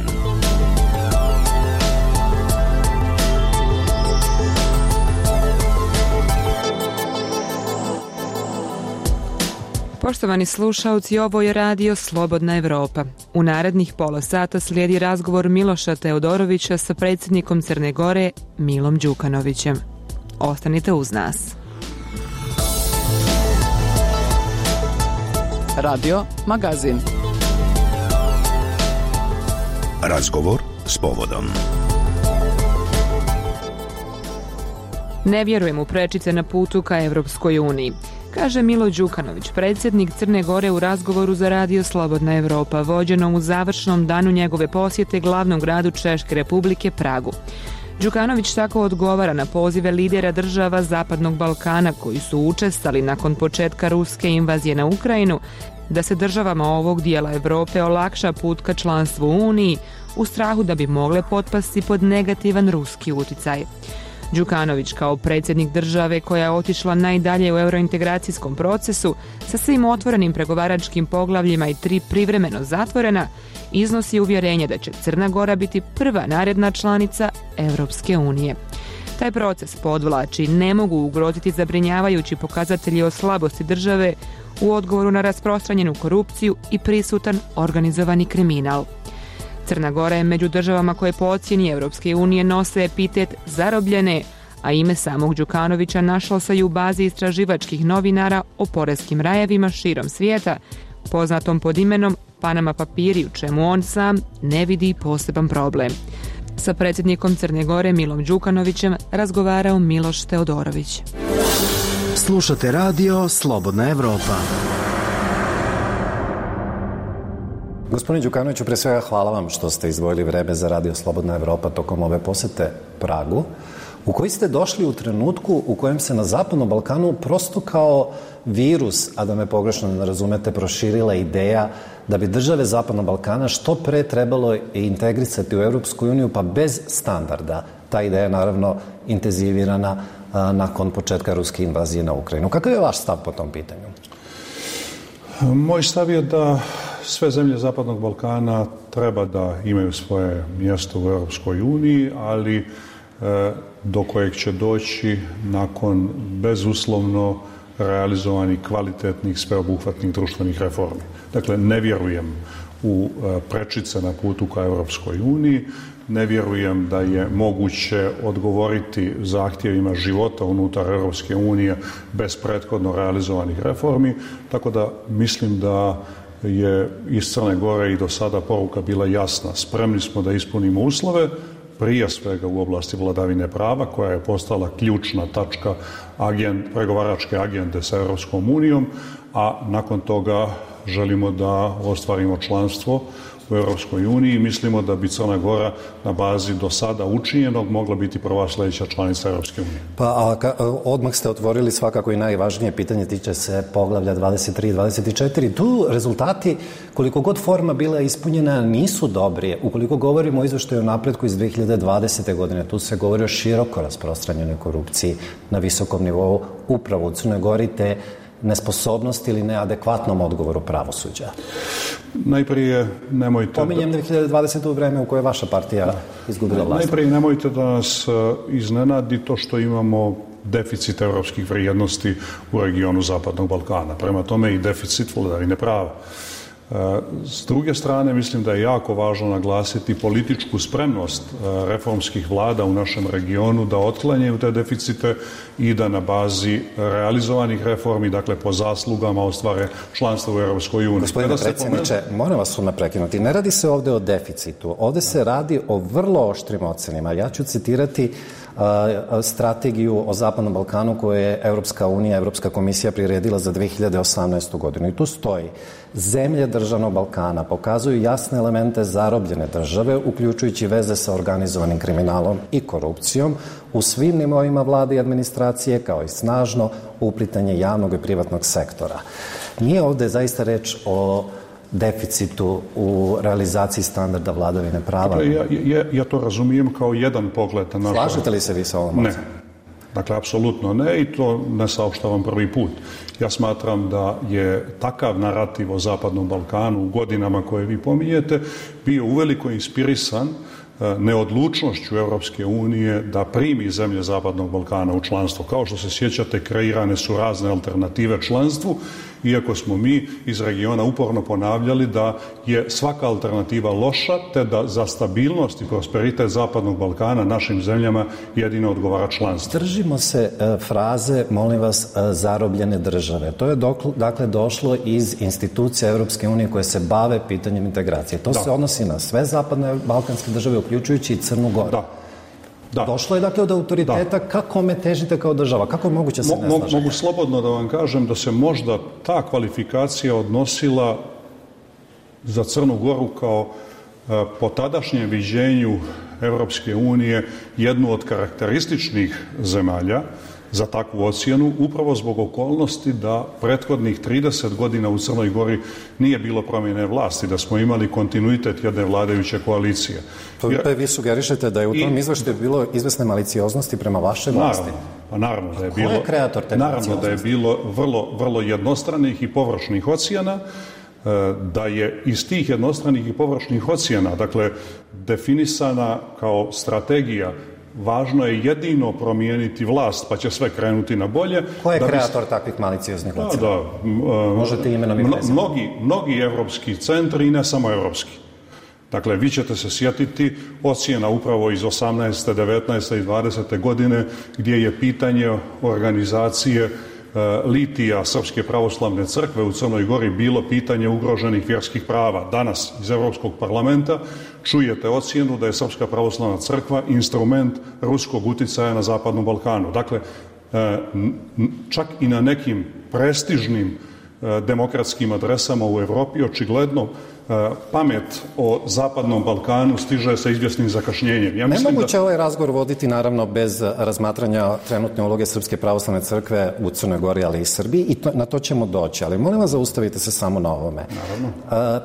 Poštovani slušalci, ovo je Radio Slobodna Evropa. U narednih pola sata slijedi razgovor Miloša Teodorovića sa predsjednikom Crne Gore Milom Đukanovićem. Ostanite uz nas. Radio Magazin. Razgovor s povodom. Ne vjerujem u prečice na putu ka Evropskoj uniji, kaže Milo Đukanović, predsjednik Crne Gore u razgovoru za Radio Slobodna Evropa, vođenom u završnom danu njegove posjete glavnom gradu Češke Republike Pragu. Đukanović tako odgovara na pozive lidera država Zapadnog Balkana koji su učestali nakon početka ruske invazije na Ukrajinu da se državama ovog dijela Evrope olakša put ka članstvu u Uniji u strahu da bi mogle potpasti pod negativan ruski uticaj. Đukanović kao predsjednik države koja je otišla najdalje u eurointegracijskom procesu sa svim otvorenim pregovaračkim poglavljima i 3 privremeno zatvorena, iznosi uvjerenje da će Crna Gora biti prva naredna članica Europske unije. Taj proces, podvlači, ne mogu ugroziti zabrinjavajući pokazatelji o slabosti države u odgovoru na rasprostranjenu korupciju i prisutan organizovani kriminal. Crna Gora je među državama koje po ocjeni Europske unije nose epitet zarobljene, a ime samog Đukanovića našlo se i u bazi istraživačkih novinara o poreskim rajevima širom svijeta, poznatom pod imenom Panama papiri, u čemu on sam ne vidi poseban problem. Sa predsjednikom Crne Gore Milom Đukanovićem razgovarao Miloš Teodorović. Slušate Radio Slobodna Evropa. Gospodine Đukanoviću, pre svega hvala vam što ste izdvojili vreme za Radio Slobodna Evropa tokom ove posete Pragu, u koji ste došli u trenutku u kojem se na Zapadnom Balkanu prosto kao virus, a da me pogrešno ne razumete, proširila ideja da bi države Zapadnog Balkana što pre trebalo integrisati u Europsku uniju, pa bez standarda. Ta ideja je naravno intenzivirana nakon početka ruske invazije na Ukrajinu. Kakav je vaš stav po tom pitanju? Moj stav je da sve zemlje Zapadnog Balkana treba da imaju svoje mjesto u Europskoj uniji, ali do kojeg će doći nakon bezuslovno realizovanih kvalitetnih, sveobuhvatnih društvenih reformi. Dakle, ne vjerujem u prečice na putu ka Europskoj uniji, ne vjerujem da je moguće odgovoriti zahtjevima života unutar Europske unije bez prethodno realizovanih reformi, tako da mislim da je iz Crne Gore i do sada poruka bila jasna. Spremni smo da ispunimo uslove, prije svega u oblasti vladavine prava, koja je postala ključna tačka pregovaračke agende sa Europskom unijom, a nakon toga želimo da ostvarimo članstvo u Europskoj uniji i mislimo da bi Crna Gora na bazi do sada učinjenog mogla biti prva sljedeća članica Europske unije. Pa odmah ste otvorili svakako i najvažnije pitanje, tiče se poglavlja 23 i 24. Tu rezultati, koliko god forma bila ispunjena, nisu dobri. Ukoliko govorimo o izveštaju o napretku iz 2020. godine, tu se govori o široko rasprostranjenoj korupciji na visokom nivou upravo u Crnoj Gori, te nesposobnosti ili neadekvatnom odgovoru pravosuđa. Najprije nemojte... Pominjem 2020. u vreme u kojoj je vaša partija izgubila vlast. Najprije nemojte da nas iznenadi to što imamo deficit evropskih vrijednosti u regionu Zapadnog Balkana. Prema tome i deficit vladavine prava. S druge strane, mislim da je jako važno naglasiti političku spremnost reformskih vlada u našem regionu da otklanjaju te deficite i da na bazi realizovanih reformi, dakle po zaslugama, ostvare članstvo u Europskoj uniji. Gospodine predsjedniče, moram vas odmah prekinuti. Ne radi se ovdje o deficitu. Ovdje se radi o vrlo oštrim ocenima. Ja ću citirati strategiju o Zapadnom Balkanu koju je Europska unija, Europska komisija priredila za 2018. godinu. I tu stoji: zemlje državnog Balkana pokazuju jasne elemente zarobljene države, uključujući veze sa organizovanim kriminalom i korupcijom u svim nivoima vlade i administracije, kao i snažno uplitanje javnog i privatnog sektora. Nije ovdje zaista reč o deficitu u realizaciji standarda vladavine prava. Dakle, ja to razumijem kao jedan pogled na našu... Slažete li se vi sa ovom? Ne. Dakle, apsolutno ne, i to ne saopštavam prvi put. Ja smatram da je takav narativ o Zapadnom Balkanu u godinama koje vi pominjete bio uveliko inspirisan neodlučnošću Europske unije da primi zemlje Zapadnog Balkana u članstvo. Kao što se sjećate, kreirane su razne alternative članstvu, iako smo mi iz regiona uporno ponavljali da je svaka alternativa loša, te da za stabilnost i prosperitet Zapadnog Balkana našim zemljama jedino odgovara članstvo. Držimo se fraze, molim vas, zarobljene države. To je dakle došlo iz institucija Europske unije koje se bave pitanjem integracije. To se odnosi na sve zapadne balkanske države, uključujući i Crnu Goru. Da. Došlo je dakle do autoriteta. Kako me težite kao država? Kako je moguće se ne slažete? Mogu slobodno da vam kažem da se možda ta kvalifikacija odnosila za Crnu Goru kao po tadašnjem viđenju Europske unije jednu od karakterističnih zemalja za takvu ocjenu, upravo zbog okolnosti da prethodnih 30 godina u Crnoj Gori nije bilo promjene vlasti, da smo imali kontinuitet jedne vladajuće koalicije. Vi sugerišete da je u tom izveštaju bilo izvesne malicioznosti prema vašoj vlasti? Naravno da je bilo. Ko je kreator te malicioznosti? Naravno da je bilo vrlo jednostranih i površnih ocjena, da je iz tih jednostranih i površnih ocjena, dakle, definisana kao strategija važno je jedino promijeniti vlast, pa će sve krenuti na bolje. Ko je kreator takvih malicioznih ocjena? Možete imenom i prezimenom. Mnogi evropski centri i ne samo evropski. Dakle, vi ćete se sjetiti ocjena upravo iz 18., 19. i 20. godine gdje je pitanje organizacije litija Srpske pravoslavne crkve u Crnoj Gori bilo pitanje ugroženih vjerskih prava. Danas iz Europskog parlamenta čujete ocjenu da je Srpska pravoslavna crkva instrument ruskog uticaja na Zapadnom Balkanu. Dakle, čak i na nekim prestižnim demokratskim adresama u Europi očigledno pamet o Zapadnom Balkanu stiže sa izvjesnim zakašnjenjem. Nemoguće ovaj razgovor voditi naravno bez razmatranja trenutne uloge Srpske pravoslavne crkve u Crnoj Gori, ali i Srbiji, i na to ćemo doći. Ali molim vas, zaustavite se samo na ovome. Naravno.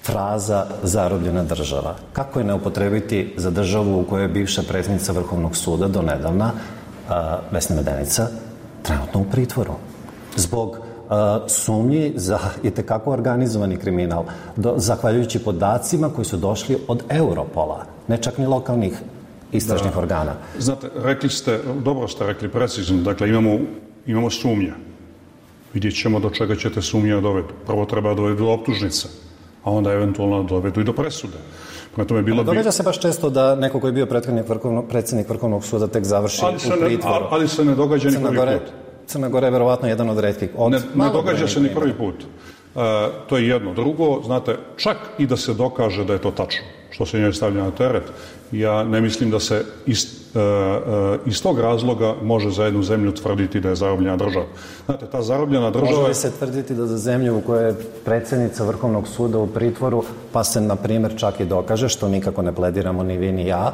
Fraza zarobljena država. Kako je ne upotrebiti za državu u kojoj je bivša predsjednica Vrhovnog suda do nedavna, Vesna Medenica, trenutno u pritvoru zbog sumnji za itekako organizovani kriminal, zahvaljujući podacima koji su došli od Europola, ne čak ni lokalnih istražnih organa. Znate, dobro ste rekli precizno, dakle imamo sumnje. Vidjet ćemo do čega ćete sumnje dovedu. Prvo treba dovedu do optužnice, a onda eventualno dovedu i do presude. Događa se baš često da neko koji je bio predsjednik Vrhovnog suda tek završi u pritvoru. Ali se ne događa ni prvi put. Crna Gora je verovatno jedan od retkih. Ne događa se ni prvi put. To je jedno. Drugo, znate, čak i da se dokaže da je to tačno, što se njoj stavlja na teret, ja ne mislim da se iz tog razloga može za jednu zemlju tvrditi da je zarobljena država. Znate, ta zarobljena država... Može li se tvrditi da za zemlju u kojoj je predsjednica Vrhovnog suda u pritvoru, pa se, na primjer, čak i dokaže, što nikako ne plediramo ni vi ni ja,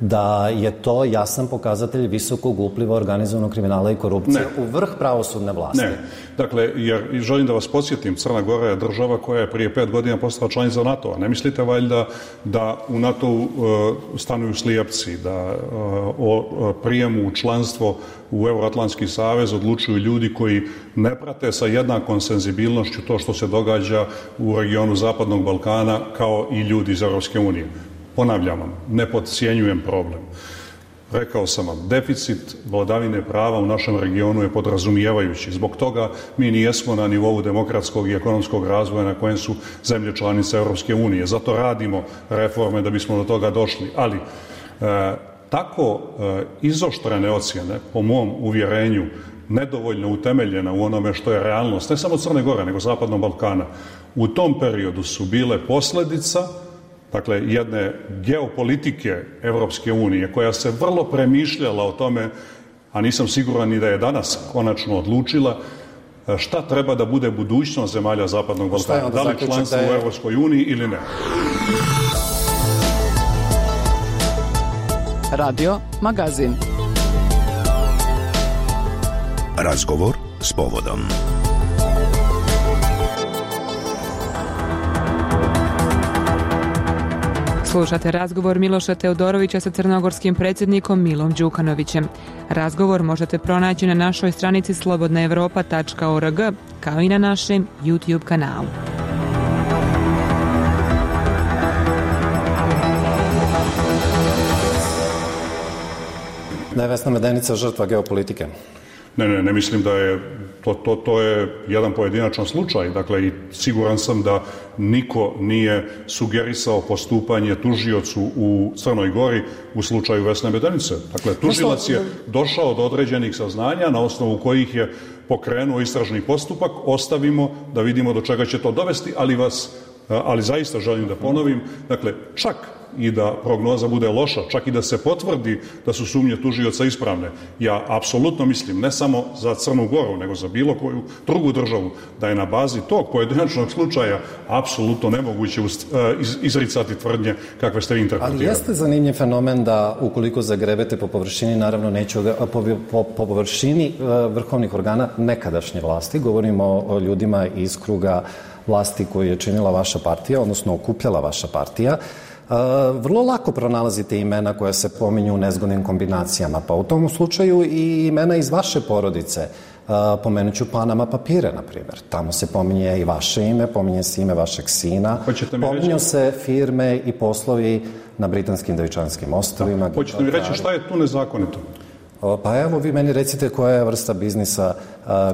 da je to jasan pokazatelj visokog upliva organizovanog kriminala i korupcije u vrh pravosudne vlasti? Ne. Dakle, jer želim da vas podsjetim, Crna Gora je država koja je prije 5 godina postala članica NATO-a. Ne mislite valjda da u NATO-u stanuju slijepci, da o prijemu u članstvo u Euroatlantski savez odlučuju ljudi koji ne prate sa jednakom senzibilnošću to što se događa u regionu Zapadnog Balkana kao i ljudi iz Europske unije. Ponavljam vam, ne podcjenjujem problem. Rekao sam vam, deficit vladavine prava u našem regionu je podrazumijevajući. Zbog toga mi nijesmo na nivou demokratskog i ekonomskog razvoja na kojem su zemlje članice Europske unije. Zato radimo reforme da bismo do toga došli. Ali tako izoštrene ocjene, po mom uvjerenju, nedovoljno utemeljena u onome što je realnost, ne samo Crne Gore, nego Zapadnog Balkana, u tom periodu su bile posljedica, dakle, jedne geopolitike Evropske unije, koja se vrlo premišljala o tome, a nisam siguran ni da je danas konačno odlučila, šta treba da bude budućnost zemalja Zapadnog Balkana, da li članstvo u Evropskoj uniji ili ne. Radio Magazin. Razgovor s povodom. Slušate razgovor Miloša Teodorovića sa crnogorskim predsjednikom Milom Đukanovićem. Razgovor možete pronaći na našoj stranici slobodnaevropa.org kao i na našem YouTube kanalu. Da je Vesna Medenica žrtva geopolitike? Ne mislim da je, to je jedan pojedinačan slučaj, dakle i siguran sam da niko nije sugerisao postupanje tužiocu u Crnoj Gori u slučaju Vesne Medenice. Dakle, tužilac je došao do određenih saznanja na osnovu kojih je pokrenuo istražni postupak, ostavimo da vidimo do čega će to dovesti, ali zaista želim da ponovim, dakle, čak i da prognoza bude loša, čak i da se potvrdi da su sumnje tužioca ispravne. Ja apsolutno mislim, ne samo za Crnu Goru, nego za bilo koju drugu državu, da je na bazi tog pojedinačnog slučaja apsolutno nemoguće izricati tvrdnje kakve ste vi interpretirali. Ali jeste zanimljiv fenomen da ukoliko zagrebete po površini, naravno neću po površini vrhovnih organa nekadašnje vlasti, govorimo o ljudima iz kruga vlasti koju je činila vaša partija, odnosno okupljala vaša partija, vrlo lako pronalazite imena koja se pominju u nezgodnim kombinacijama, pa u tom slučaju i imena iz vaše porodice. Pomenut ću Panama papire, na primjer. Tamo se pominje i vaše ime, pominje se ime vašeg sina, pominju se firme i poslovi na Britanskim Devičanskim ostrvima. Hoćete mi reći šta je tu nezakonito? Pa evo, vi meni recite koja je vrsta biznisa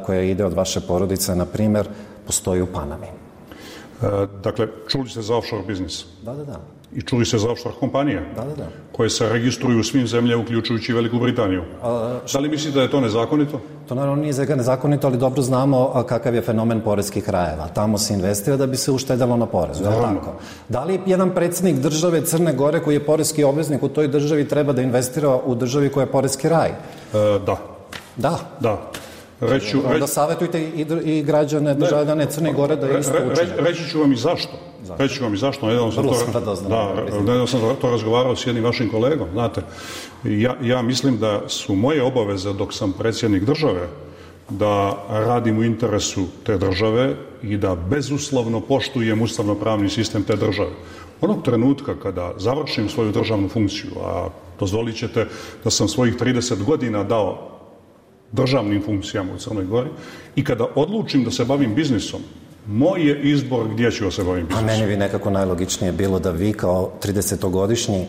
koja ide od vaše porodice, na primjer, postoji u Panami. Dakle, čuli ste za offshore biznis? Da. I čuli se za offshore kompanije? Da. Koje se registruju u svim zemljama, uključujući Veliku Britaniju. Da li mislite da je to nezakonito? To naravno nije nezakonito, ali dobro znamo kakav je fenomen poreskih rajeva. Tamo se investira da bi se uštedalo na porezu. Tako? Da li jedan predsjednik države Crne Gore koji je poreski obveznik u toj državi treba da investira u državi koja je poreski raj? Da. Onda savjetujte i građane državljane Crne Gore da isto učine. Reći ću vam i zašto. Nedavno sam to razgovarao s jednim vašim kolegom. Znate, ja mislim da su moje obaveze dok sam predsjednik države da radim u interesu te države i da bezuslovno poštujem ustavno-pravni sistem te države. Onog trenutka kada završim svoju državnu funkciju, a dozvolit ćete da sam svojih 30 godina dao državnim funkcijama u Crnoj Gori, i kada odlučim da se bavim biznisom, moj je izbor gdje ću se bavim biznisom. A meni bi nekako najlogičnije bilo da vi kao 30-godišnji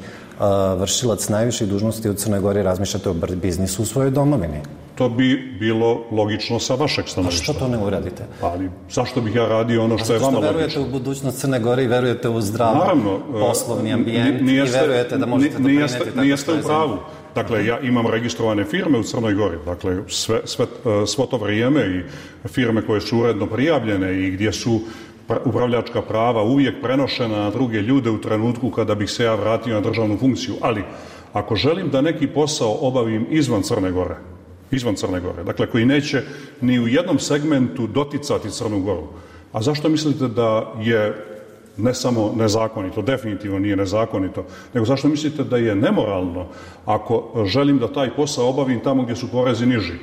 vršilac najviših dužnosti u Crnoj Gori razmišljate o biznisu u svojoj domovini. To bi bilo logično sa vašeg stanovišta. A što to ne uradite? Ali zašto bih ja radio ono što je vama logično? A verujete u budućnost Crne Gore i verujete u zdrav poslovni ambijent i verujete da možete doprineti tako nijeste u pravu. Dakle, ja imam registrovane firme u Crnoj Gori. Dakle, svo to vrijeme i firme koje su uredno prijavljene i gdje su upravljačka prava uvijek prenošena na druge ljude u trenutku kada bih se ja vratio na državnu funkciju. Ali, ako želim da neki posao obavim izvan Crne Gore, dakle, koji neće ni u jednom segmentu doticati Crnu Goru, a zašto mislite da je ne samo nezakonito, definitivno nije nezakonito, nego zašto mislite da je nemoralno ako želim da taj posao obavim tamo gdje su porezi niži?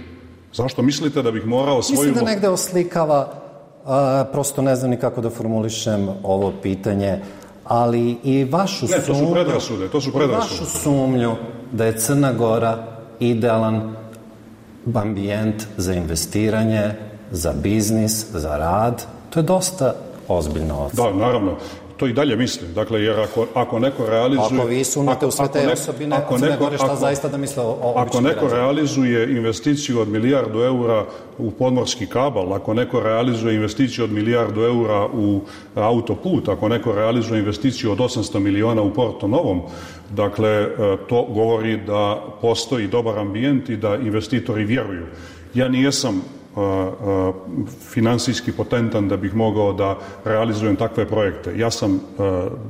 Zašto mislite da bih morao svoju... Mislim da negde oslikava, prosto ne znam ni kako da formulišem ovo pitanje, ali i vašu sumnju... Ne, to su predrasude. Vašu sumnju da je Crna Gora idealan ambijent za investiranje, za biznis, za rad, to je dosta ozbiljno ocena. Da, naravno. to i dalje mislim. Dakle, jer ako neko realizuje... Ako vi sumnjate u sve te osobine Crne Gore, šta zaista da misle o običnim Ako neko realizuje investiciju od €1 milijardu u podmorski kabal, ako neko realizuje investiciju od €1 milijardu u autoput, ako neko realizuje investiciju od 800 miliona u Porto Novom, dakle, to govori da postoji dobar ambijent i da investitori vjeruju. Ja nijesam finansijski potentan da bih mogao da realizujem takve projekte. Ja sam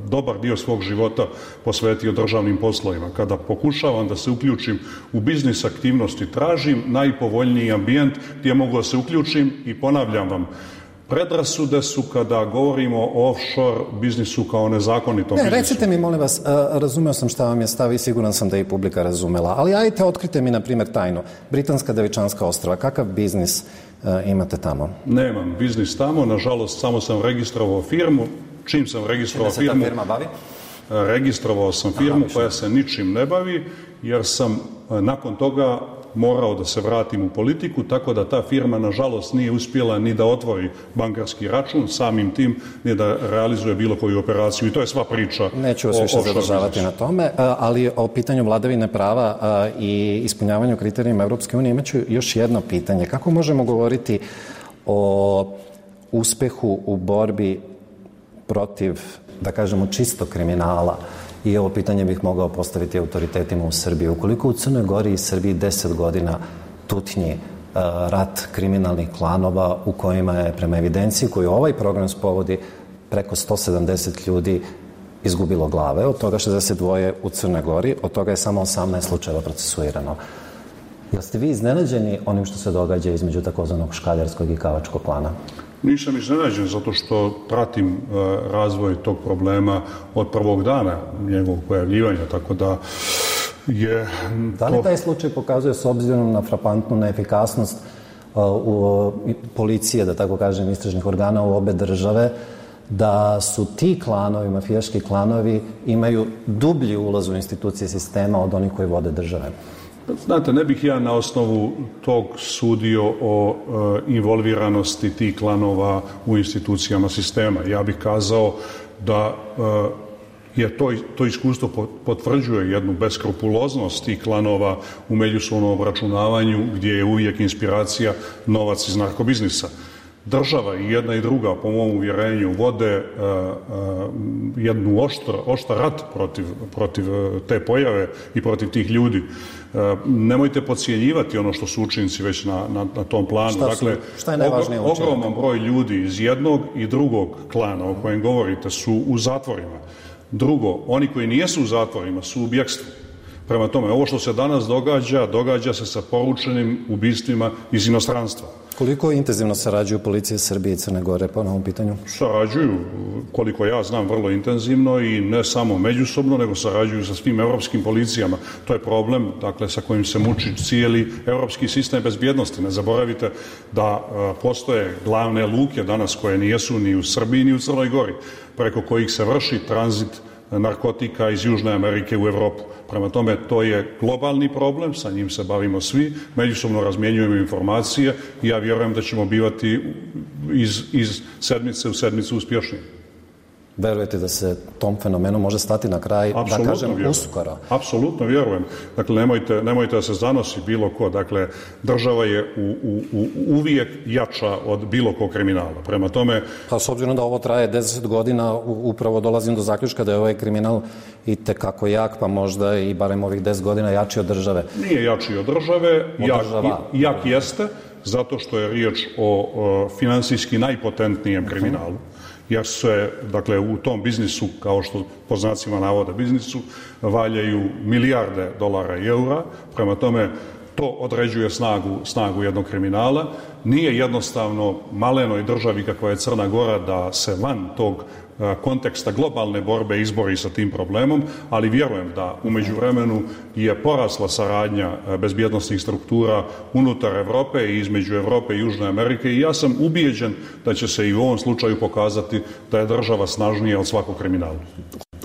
dobar dio svog života posvetio državnim poslovima. Kada pokušavam da se uključim u biznis aktivnosti, tražim najpovoljniji ambijent gdje mogu da se uključim i ponavljam vam, predrasude su kada govorimo o offshore biznisu kao nezakonitom biznisu. Recite mi, molim vas, razumeo sam šta vam je stav i siguran sam da je i publika razumela, ali ajte, otkrite mi, na primjer, tajnu. Britanska Devičanska ostrva, kakav biznis imate tamo? Nemam biznis tamo, nažalost, samo sam registrovao firmu. Čim sam registrovao firmu... Čime se ta firma bavi? Registrovao sam firmu koja se ničim ne bavi, jer sam nakon toga morao da se vratim u politiku, tako da ta firma nažalost nije uspjela ni da otvori bankarski račun, samim tim ni da realizuje bilo koju operaciju i to je sva priča. Neću vas više zadržavati na tome, ali o pitanju vladavine prava i ispunjavanju kriterijima Europske unije imaću još jedno pitanje. Kako možemo govoriti o uspehu u borbi protiv, da kažemo, čistog kriminala? I ovo pitanje bih mogao postaviti autoritetima u Srbiji. Ukoliko u Crnoj Gori i Srbiji 10 godina tutnji rat kriminalnih klanova u kojima je, prema evidenciji koju ovaj program spovodi, preko 170 ljudi izgubilo glave, od toga 62 u Crnoj Gori, od toga je samo 18 slučajeva procesuirano. Jel ste vi iznenađeni onim što se događa između takozvanog škaljarskog i kavačkog klana? Nisam iznenađen zato što pratim razvoj tog problema od prvog dana njegovog pojavljivanja, tako da je... Da li taj slučaj pokazuje, s obzirom na frapantnu neefikasnost policije, da tako kažem, istražnih organa u obe države, da su ti klanovi, mafijaški klanovi, imaju dublji ulaz u institucije sistema od onih koji vode države? Znate, ne bih ja na osnovu tog sudio o involviranosti tih klanova u institucijama sistema. Ja bih kazao da je to iskustvo potvrđuje jednu beskrupuloznost tih klanova u međusobnom obračunavanju gdje je uvijek inspiracija novac iz narkobiznisa. Država i jedna i druga, po mom uvjerenju, vode jednu oštar rat protiv te pojave i protiv tih ljudi. Nemojte podcjenjivati ono što su učinci već na tom planu. Šta je najvažnije učiniti? Ogroman broj ljudi iz jednog i drugog klana o kojem govorite su u zatvorima. Drugo, oni koji nijesu u zatvorima su u bjekstvu. Prema tome, ovo što se danas događa se sa poručenim ubistvima iz inostranstva. Koliko intenzivno sarađuju policije Srbije i Crne Gore po ovom pitanju? Sarađuju, koliko ja znam, vrlo intenzivno i ne samo međusobno, nego sarađuju sa svim europskim policijama. To je problem, dakle, sa kojim se muči cijeli europski sistem bezbjednosti. Ne zaboravite da postoje glavne luke danas koje nijesu ni u Srbiji ni u Crnoj Gori, preko kojih se vrši tranzit narkotika iz Južne Amerike u Europu. Prema tome, to je globalni problem, sa njim se bavimo svi, međusobno razmjenjujemo informacije i ja vjerujem da ćemo bivati iz sedmice u sedmicu uspješniji. Verujete da se tom fenomenu može stati na kraj, da kažem, uskoro? Apsolutno vjerujem. Dakle, nemojte da se zanosi bilo ko. Dakle, država je uvijek jača od bilo kog kriminala. Prema tome... Pa s obzirom da ovo traje 10 godina, upravo dolazim do zaključka da je ovaj kriminal i tekako jak, pa možda i barem ovih 10 godina jači od države. Nije jači od države, jak jeste, zato što je riječ o finansijski najpotentnijem kriminalu. Jer se, dakle, u tom biznisu, kao što po znacima navoda biznisu, valjaju milijarde dolara i eura. Prema tome, to određuje snagu jednog kriminala. Nije jednostavno malenoj državi kakva je Crna Gora da se van tog konteksta globalne borbe izbori sa tim problemom, ali vjerujem da u međuvremenu je porasla saradnja bezbjednosnih struktura unutar Europe i između Europe i Južne Amerike i ja sam ubijeđen da će se i u ovom slučaju pokazati da je država snažnija od svakog kriminala.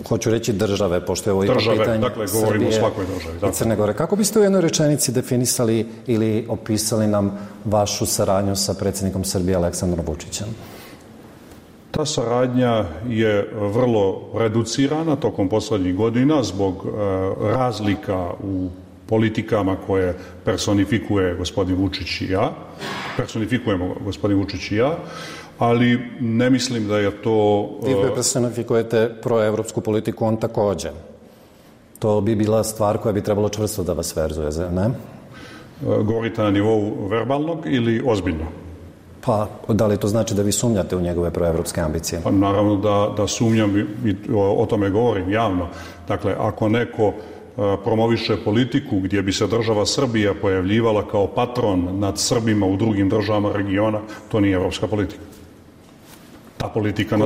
Hoću reći države, pošto je ovo ipak pitanje dakle, govorimo o svakoj državi. I Crne Gore. Kako biste u jednoj rečenici definisali ili opisali nam vašu saradnju sa predsjednikom Srbije Aleksandrom Vučićem? Ta saradnja je vrlo reducirana tokom posljednjih godina zbog razlika u politikama koje personifikuje gospodin Vučić i ja. Personifikujemo gospodin Vučić i ja, ali ne mislim da je to... Vi personifikujete proevropsku politiku, on također. To bi bila stvar koja bi trebalo čvrsto da vas verzuje, ne? Govorite na nivou verbalnog ili ozbiljno? Pa, da li to znači da vi sumnjate u njegove proevropske ambicije? Pa, naravno da sumnjam i o tome govorim javno. Dakle, ako neko promoviše politiku gdje bi se država Srbija pojavljivala kao patron nad Srbima u drugim državama regiona, to nije evropska politika. Ta politika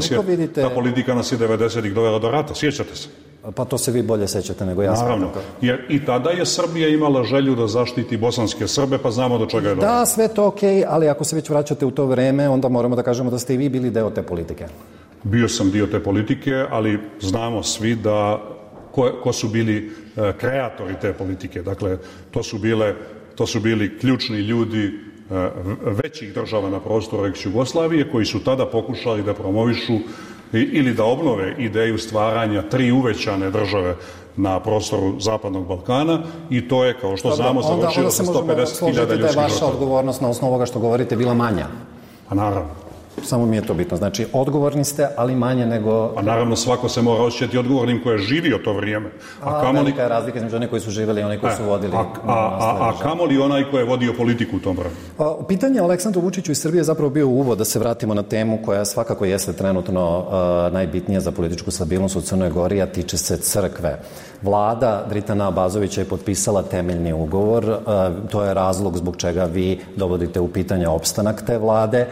nas je 90-ih dovela do rata, sjećate se? Pa to se vi bolje sećate nego ja. Naravno, jer i tada je Srbija imala želju da zaštiti bosanske Srbe, pa znamo do čega je došlo. Da, sve to okej, ali ako se već vraćate u to vreme, onda moramo da kažemo da ste i vi bili deo te politike. Bio sam dio te politike, ali znamo svi da ko su bili kreatori te politike. Dakle, to su bili ključni ljudi većih država na prostoru ex-Jugoslavije koji su tada pokušali da promovišu ili da obnove ideju stvaranja 3 uvećane države na prostoru Zapadnog Balkana i to je, kao što znamo, završilo sa 150.000 ljudskih žrtava. Da je vaša odgovornost na osnovu ovoga što govorite bila manja? Pa naravno. Samo mi je to bitno. Znači, odgovorni ste, ali manje nego... Pa naravno, svako se mora osjećati odgovornim ko je živio to vrijeme. Velika je razlika između onih koji su živjeli i onih koji su vodili... A kamoli onaj ko je vodio politiku u tom vremenu? Pitanje o Aleksandru Vučiću iz Srbije je zapravo bio uvod da se vratimo na temu koja svakako jeste trenutno najbitnija za političku stabilnost u Crnoj Gori, a tiče se crkve. Vlada Dritana Abazovića je potpisala temeljni ugovor. To je razlog zbog čega vi dovodite u pitanje opstanak te vlade.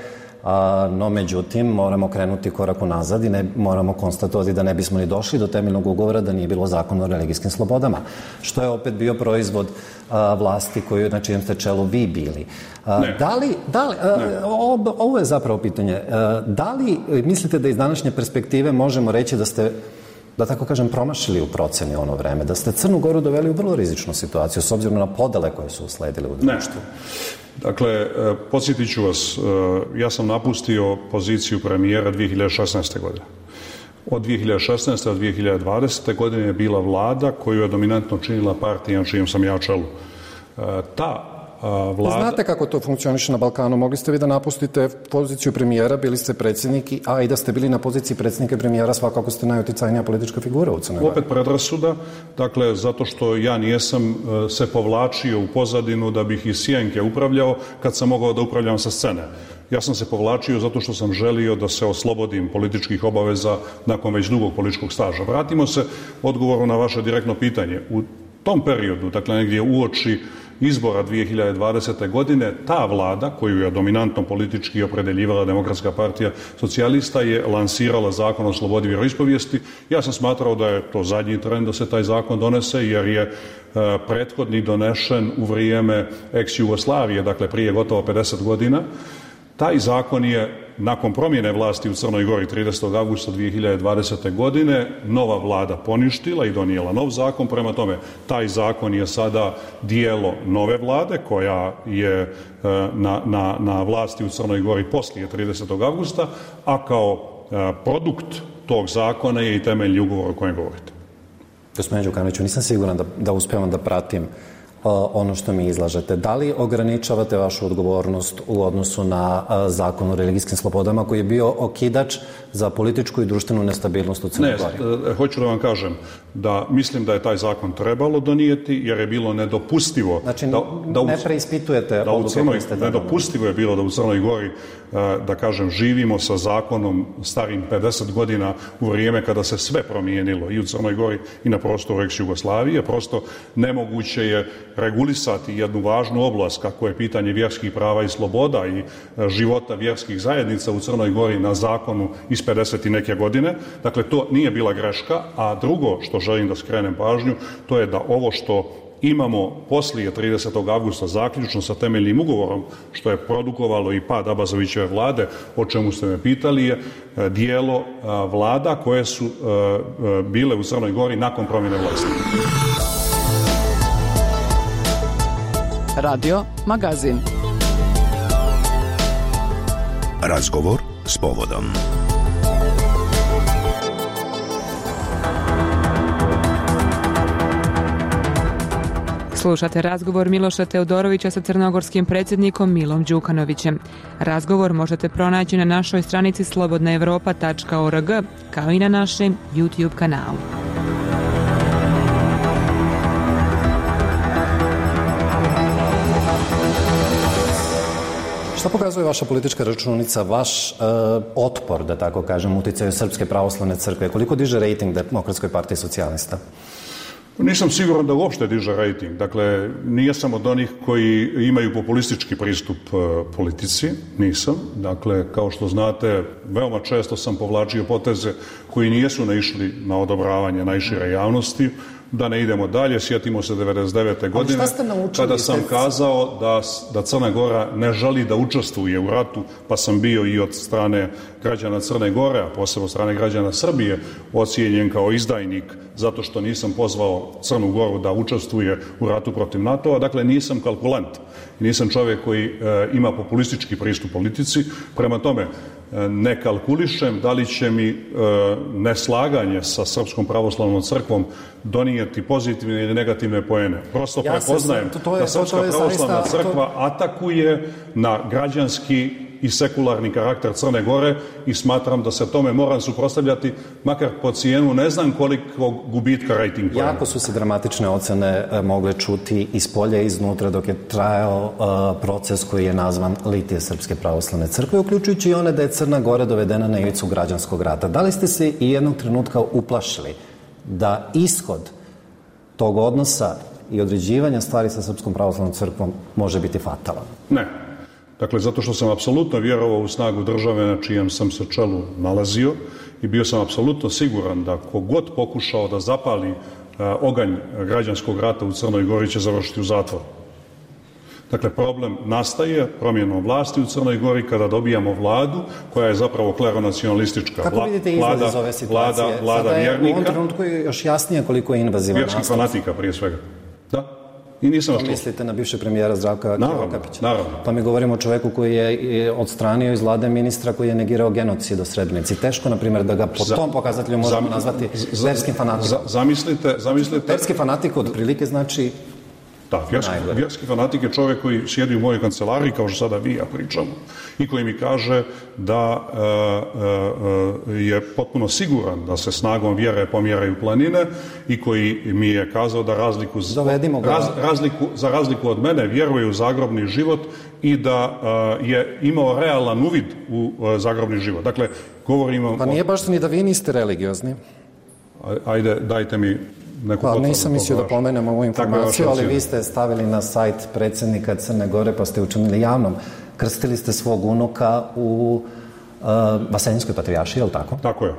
No, međutim, moramo krenuti korak unazad i moramo konstatovati da ne bismo ni došli do temeljnog ugovora da nije bilo zakona o religijskim slobodama, što je opet bio proizvod vlasti koju, na čijem ste čelu vi bili. Ovo je zapravo pitanje. Da li mislite da iz današnje perspektive možemo reći da ste, da tako kažem, promašili u proceni ono vreme, da ste Crnu Goru doveli u vrlo rizičnu situaciju s obzirom na podele koje su usledile u društvu? Dakle, podsjetit ću vas, ja sam napustio poziciju premijera 2016. godine. Od 2016. do 2020. godine je bila vlada koju je dominantno činila partija na čijem sam ja čelu. Vlada... Znate kako to funkcioniše na Balkanu? Mogli ste vi da napustite poziciju premijera, bili ste predsjednik, a i da ste bili na poziciji predsjednika i premijera, svakako ste najuticajnija politička figura u Crnoj Gori. Opet predrasuda, dakle, zato što ja nijesam se povlačio u pozadinu da bih iz sjenke upravljao kad sam mogao da upravljam sa scene. Ja sam se povlačio zato što sam želio da se oslobodim političkih obaveza nakon već dugog političkog staža. Vratimo se odgovoru na vaše direktno pitanje. U tom periodu, dakle negdje uoči izbora 2020. godine, ta vlada, koju je dominantno politički opredeljivala Demokratska partija socijalista, je lansirala zakon o slobodi vjeroispovijesti. Ja sam smatrao da je to zadnji tren da se taj zakon donese, jer je prethodni donešen u vrijeme ex-Jugoslavije, dakle prije gotovo 50 godina. Taj zakon je nakon promjene vlasti u Crnoj Gori 30. augusta 2020. godine nova vlada poništila i donijela nov zakon. Prema tome, taj zakon je sada dijelo nove vlade koja je na vlasti u Crnoj Gori poslije 30. augusta, a kao produkt tog zakona je i temeljni ugovor o kojem govorite. Gospodine Đukanoviću, nisam siguran da uspevam da pratim ono što mi izlažete. Da li ograničavate vašu odgovornost u odnosu na zakon o religijskim slobodama koji je bio okidač za političku i društvenu nestabilnost u Crnoj Gori? Ne, hoću da vam kažem da mislim da je taj zakon trebalo donijeti jer je bilo nedopustivo. Znači, ne preispitujete odluke koje ste donijeli. Nedopustivo je bilo da u Crnoj Gori, da kažem, živimo sa zakonom starim 50 godina u vrijeme kada se sve promijenilo i u Crnoj Gori i na prostoru ex-Jugoslavije. Prosto nemoguće je regulisati jednu važnu oblast kako je pitanje vjerskih prava i sloboda i života vjerskih zajednica u Crnoj Gori na zakonu iz 50 i neke godine. Dakle, to nije bila greška, a drugo što želim da skrenem pažnju, to je da ovo što imamo poslije 30. augusta zaključno sa temeljnim ugovorom, što je produkovalo i pad Abazovićeve vlade, o čemu ste me pitali, je dijelo vlada koje su bile u Crnoj Gori nakon promjene vlasti. Radio Magazin. Razgovor s povodom. Slušate razgovor Miloša Teodorovića sa crnogorskim predsjednikom Milom Đukanovićem. Razgovor možete pronaći na našoj stranici slobodnaevropa.org kao i na našem YouTube kanalu. Šta pokazuje vaša politička računica, vaš otpor, da tako kažem, uticaju Srpske pravoslavne crkve? Koliko diže rejting Demokratskoj partiji socijalista? Nisam siguran da uopšte diže rejting. Dakle, nije sam od onih koji imaju populistički pristup politici. Nisam. Dakle, kao što znate, veoma često sam povlačio poteze koji nijesu naišli na odobravanje najšire javnosti. Da ne idemo dalje, sjetimo se 99. godine kada sam kazao da Crna Gora ne želi da učestvuje u ratu, pa sam bio i od strane građana Crne Gore, a posebno od strane građana Srbije, ocijenjen kao izdajnik zato što nisam pozvao Crnu Goru da učestvuje u ratu protiv NATO-a. Dakle, nisam kalkulant, nisam čovjek koji ima populistički pristup politici. Prema tome, ne kalkulišem da li će mi neslaganje sa Srpskom pravoslavnom crkvom donijeti pozitivne ili negativne poene. Prosto prepoznajem da Srpska pravoslavna crkva atakuje na građanski i sekularni karakter Crne Gore i smatram da se tome moram suprotstavljati, makar po cijenu ne znam koliko gubitka rejting poena. Jako su se dramatične ocene mogle čuti iz polja i iznutra dok je trajao proces koji je nazvan litije Srpske pravoslavne crkve, uključujući i one da je Crna Gora dovedena na ivicu građanskog rata. Da li ste se i jednog trenutka uplašili da ishod tog odnosa i određivanja stvari sa Srpskom pravoslavnom crkvom može biti fatalan? Ne. Dakle, zato što sam apsolutno vjerovao u snagu države na čijem sam se čelu nalazio i bio sam apsolutno siguran da kogod pokušao da zapali oganj građanskog rata u Crnoj Gori će završiti u zatvoru. Dakle, problem nastaje promjenom vlasti u Crnoj Gori kada dobijamo vladu koja je zapravo kleronacionalistička. Kako vidite izgled iz ove situacije? Vlada vjernika. U ovom trenutku je još jasnije koliko je invazivan nastav. Vjerskih fanatika prije svega. Da. I nisam to mislite na bivšeg premijera Zdravka Krivokapića? Naravno. Pa mi govorimo o čovjeku koji je odstranio iz vlade ministra koji je negirao genocid u Srebrenici. Teško, na primjer, da ga po tom pokazatelju možemo nazvati verskim fanatikom. Zamislite... Verski fanatik od prilike znači... Da, vjerski fanatik je čovjek koji sjedi u mojoj kancelariji, kao što sada vi ja pričamo, i koji mi kaže da je potpuno siguran da se snagom vjere pomjeraju planine i koji mi je kazao da za razliku od mene vjeruje u zagrobni život i da je imao realan uvid u zagrobni život. Dakle, govorimo... Pa nije baš ni da vi niste religiozni. Ajde, dajte mi... Pa nisam mislio da pomenem ovu informaciju, ali vi ste stavili na sajt predsjednika Crne Gore pa ste učinili javnom. Krstili ste svog unuka u Vaseljinskoj patrijaršiji, je li tako? Tako je.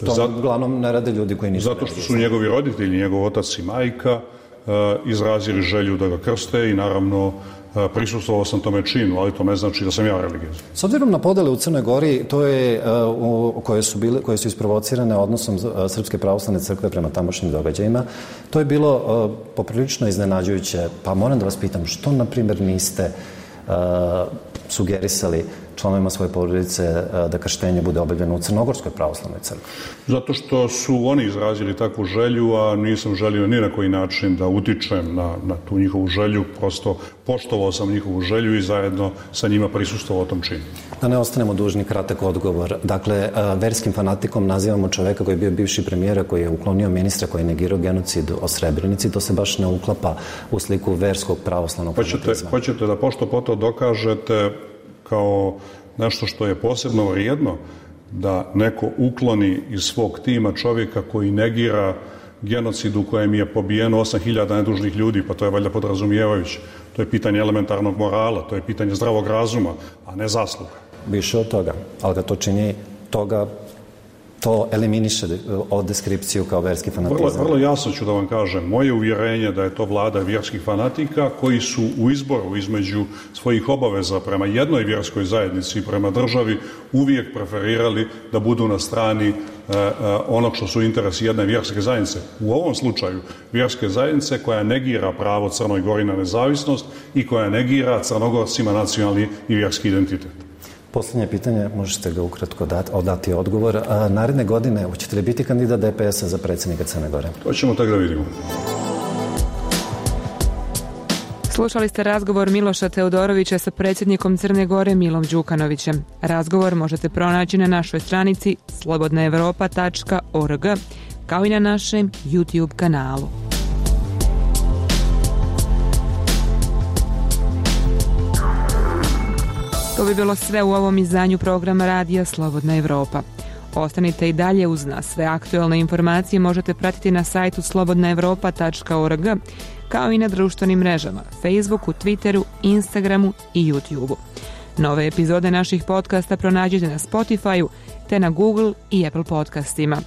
To uglavnom ne rade ljudi koji nisu zato što su njegovi roditelji, njegov otac i majka izrazili želju da ga krste i naravno prisustvovao sam tome činu, ali to ne znači da sam ja religijezan. S obzirom na podele u Crnoj Gori, to je, koje su isprovocirane odnosom Srpske pravoslavne crkve prema tamošnjim događajima, to je bilo poprilično iznenađujuće. Pa moram da vas pitam, što, na primjer, niste sugerisali članovima svoje porodice da krštenje bude obavljeno u Crnogorskoj pravoslavnoj crkvi? Zato što su oni izrazili takvu želju, a nisam želio ni na koji način da utičem na tu njihovu želju, prosto poštovao sam njihovu želju i zajedno sa njima prisustvovao tom činu. Da ne ostanemo dužni, kratak odgovor. Dakle, verskim fanatikom nazivamo čoveka koji je bio bivši premijer, koji je uklonio ministra, koji je negirao genocid o Srebrenici. To se baš ne uklapa u sliku verskog pravoslavnog fanatizma. Hoćete da pošto poto dokažete kao nešto što je posebno vrijedno, da neko ukloni iz svog tima čovjeka koji negira genocid u kojem je pobijeno 8000 nedužnih ljudi, pa to je valjda podrazumijevajuće. To je pitanje elementarnog morala, to je pitanje zdravog razuma, a ne zasluga. Više od toga, ali ga to čini to eliminiše od deskripciju kao verski fanatizam. Vrlo jasno ću da vam kažem. Moje uvjerenje da je to vlada vjerskih fanatika koji su u izboru između svojih obaveza prema jednoj vjerskoj zajednici i prema državi uvijek preferirali da budu na strani onog što su interesi jedne vjerske zajednice. U ovom slučaju vjerske zajednice koja negira pravo Crnoj Gori na nezavisnost i koja negira Crnogorcima nacionalni i vjerski identitet. Posljednje pitanje, možete ga ukratko dati odgovor. Naredne godine, hoćete li biti kandidat DPS-a za predsjednika Crne Gore? To ćemo tako da vidimo. Slušali ste razgovor Miloša Teodorovića sa predsjednikom Crne Gore Milom Đukanovićem. Razgovor možete pronaći na našoj stranici slobodnaevropa.org, kao i na našem YouTube kanalu. To bi bilo sve u ovom izdanju programa Radija Slobodna Evropa. Ostanite i dalje uz nas. Sve aktualne informacije možete pratiti na sajtu slobodnaevropa.org, kao i na društvenim mrežama, Facebooku, Twitteru, Instagramu i YouTubeu. Nove epizode naših podcasta pronađite na Spotifyu te na Google i Apple podcastima.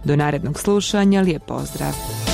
Do narednog slušanja, lijep pozdrav!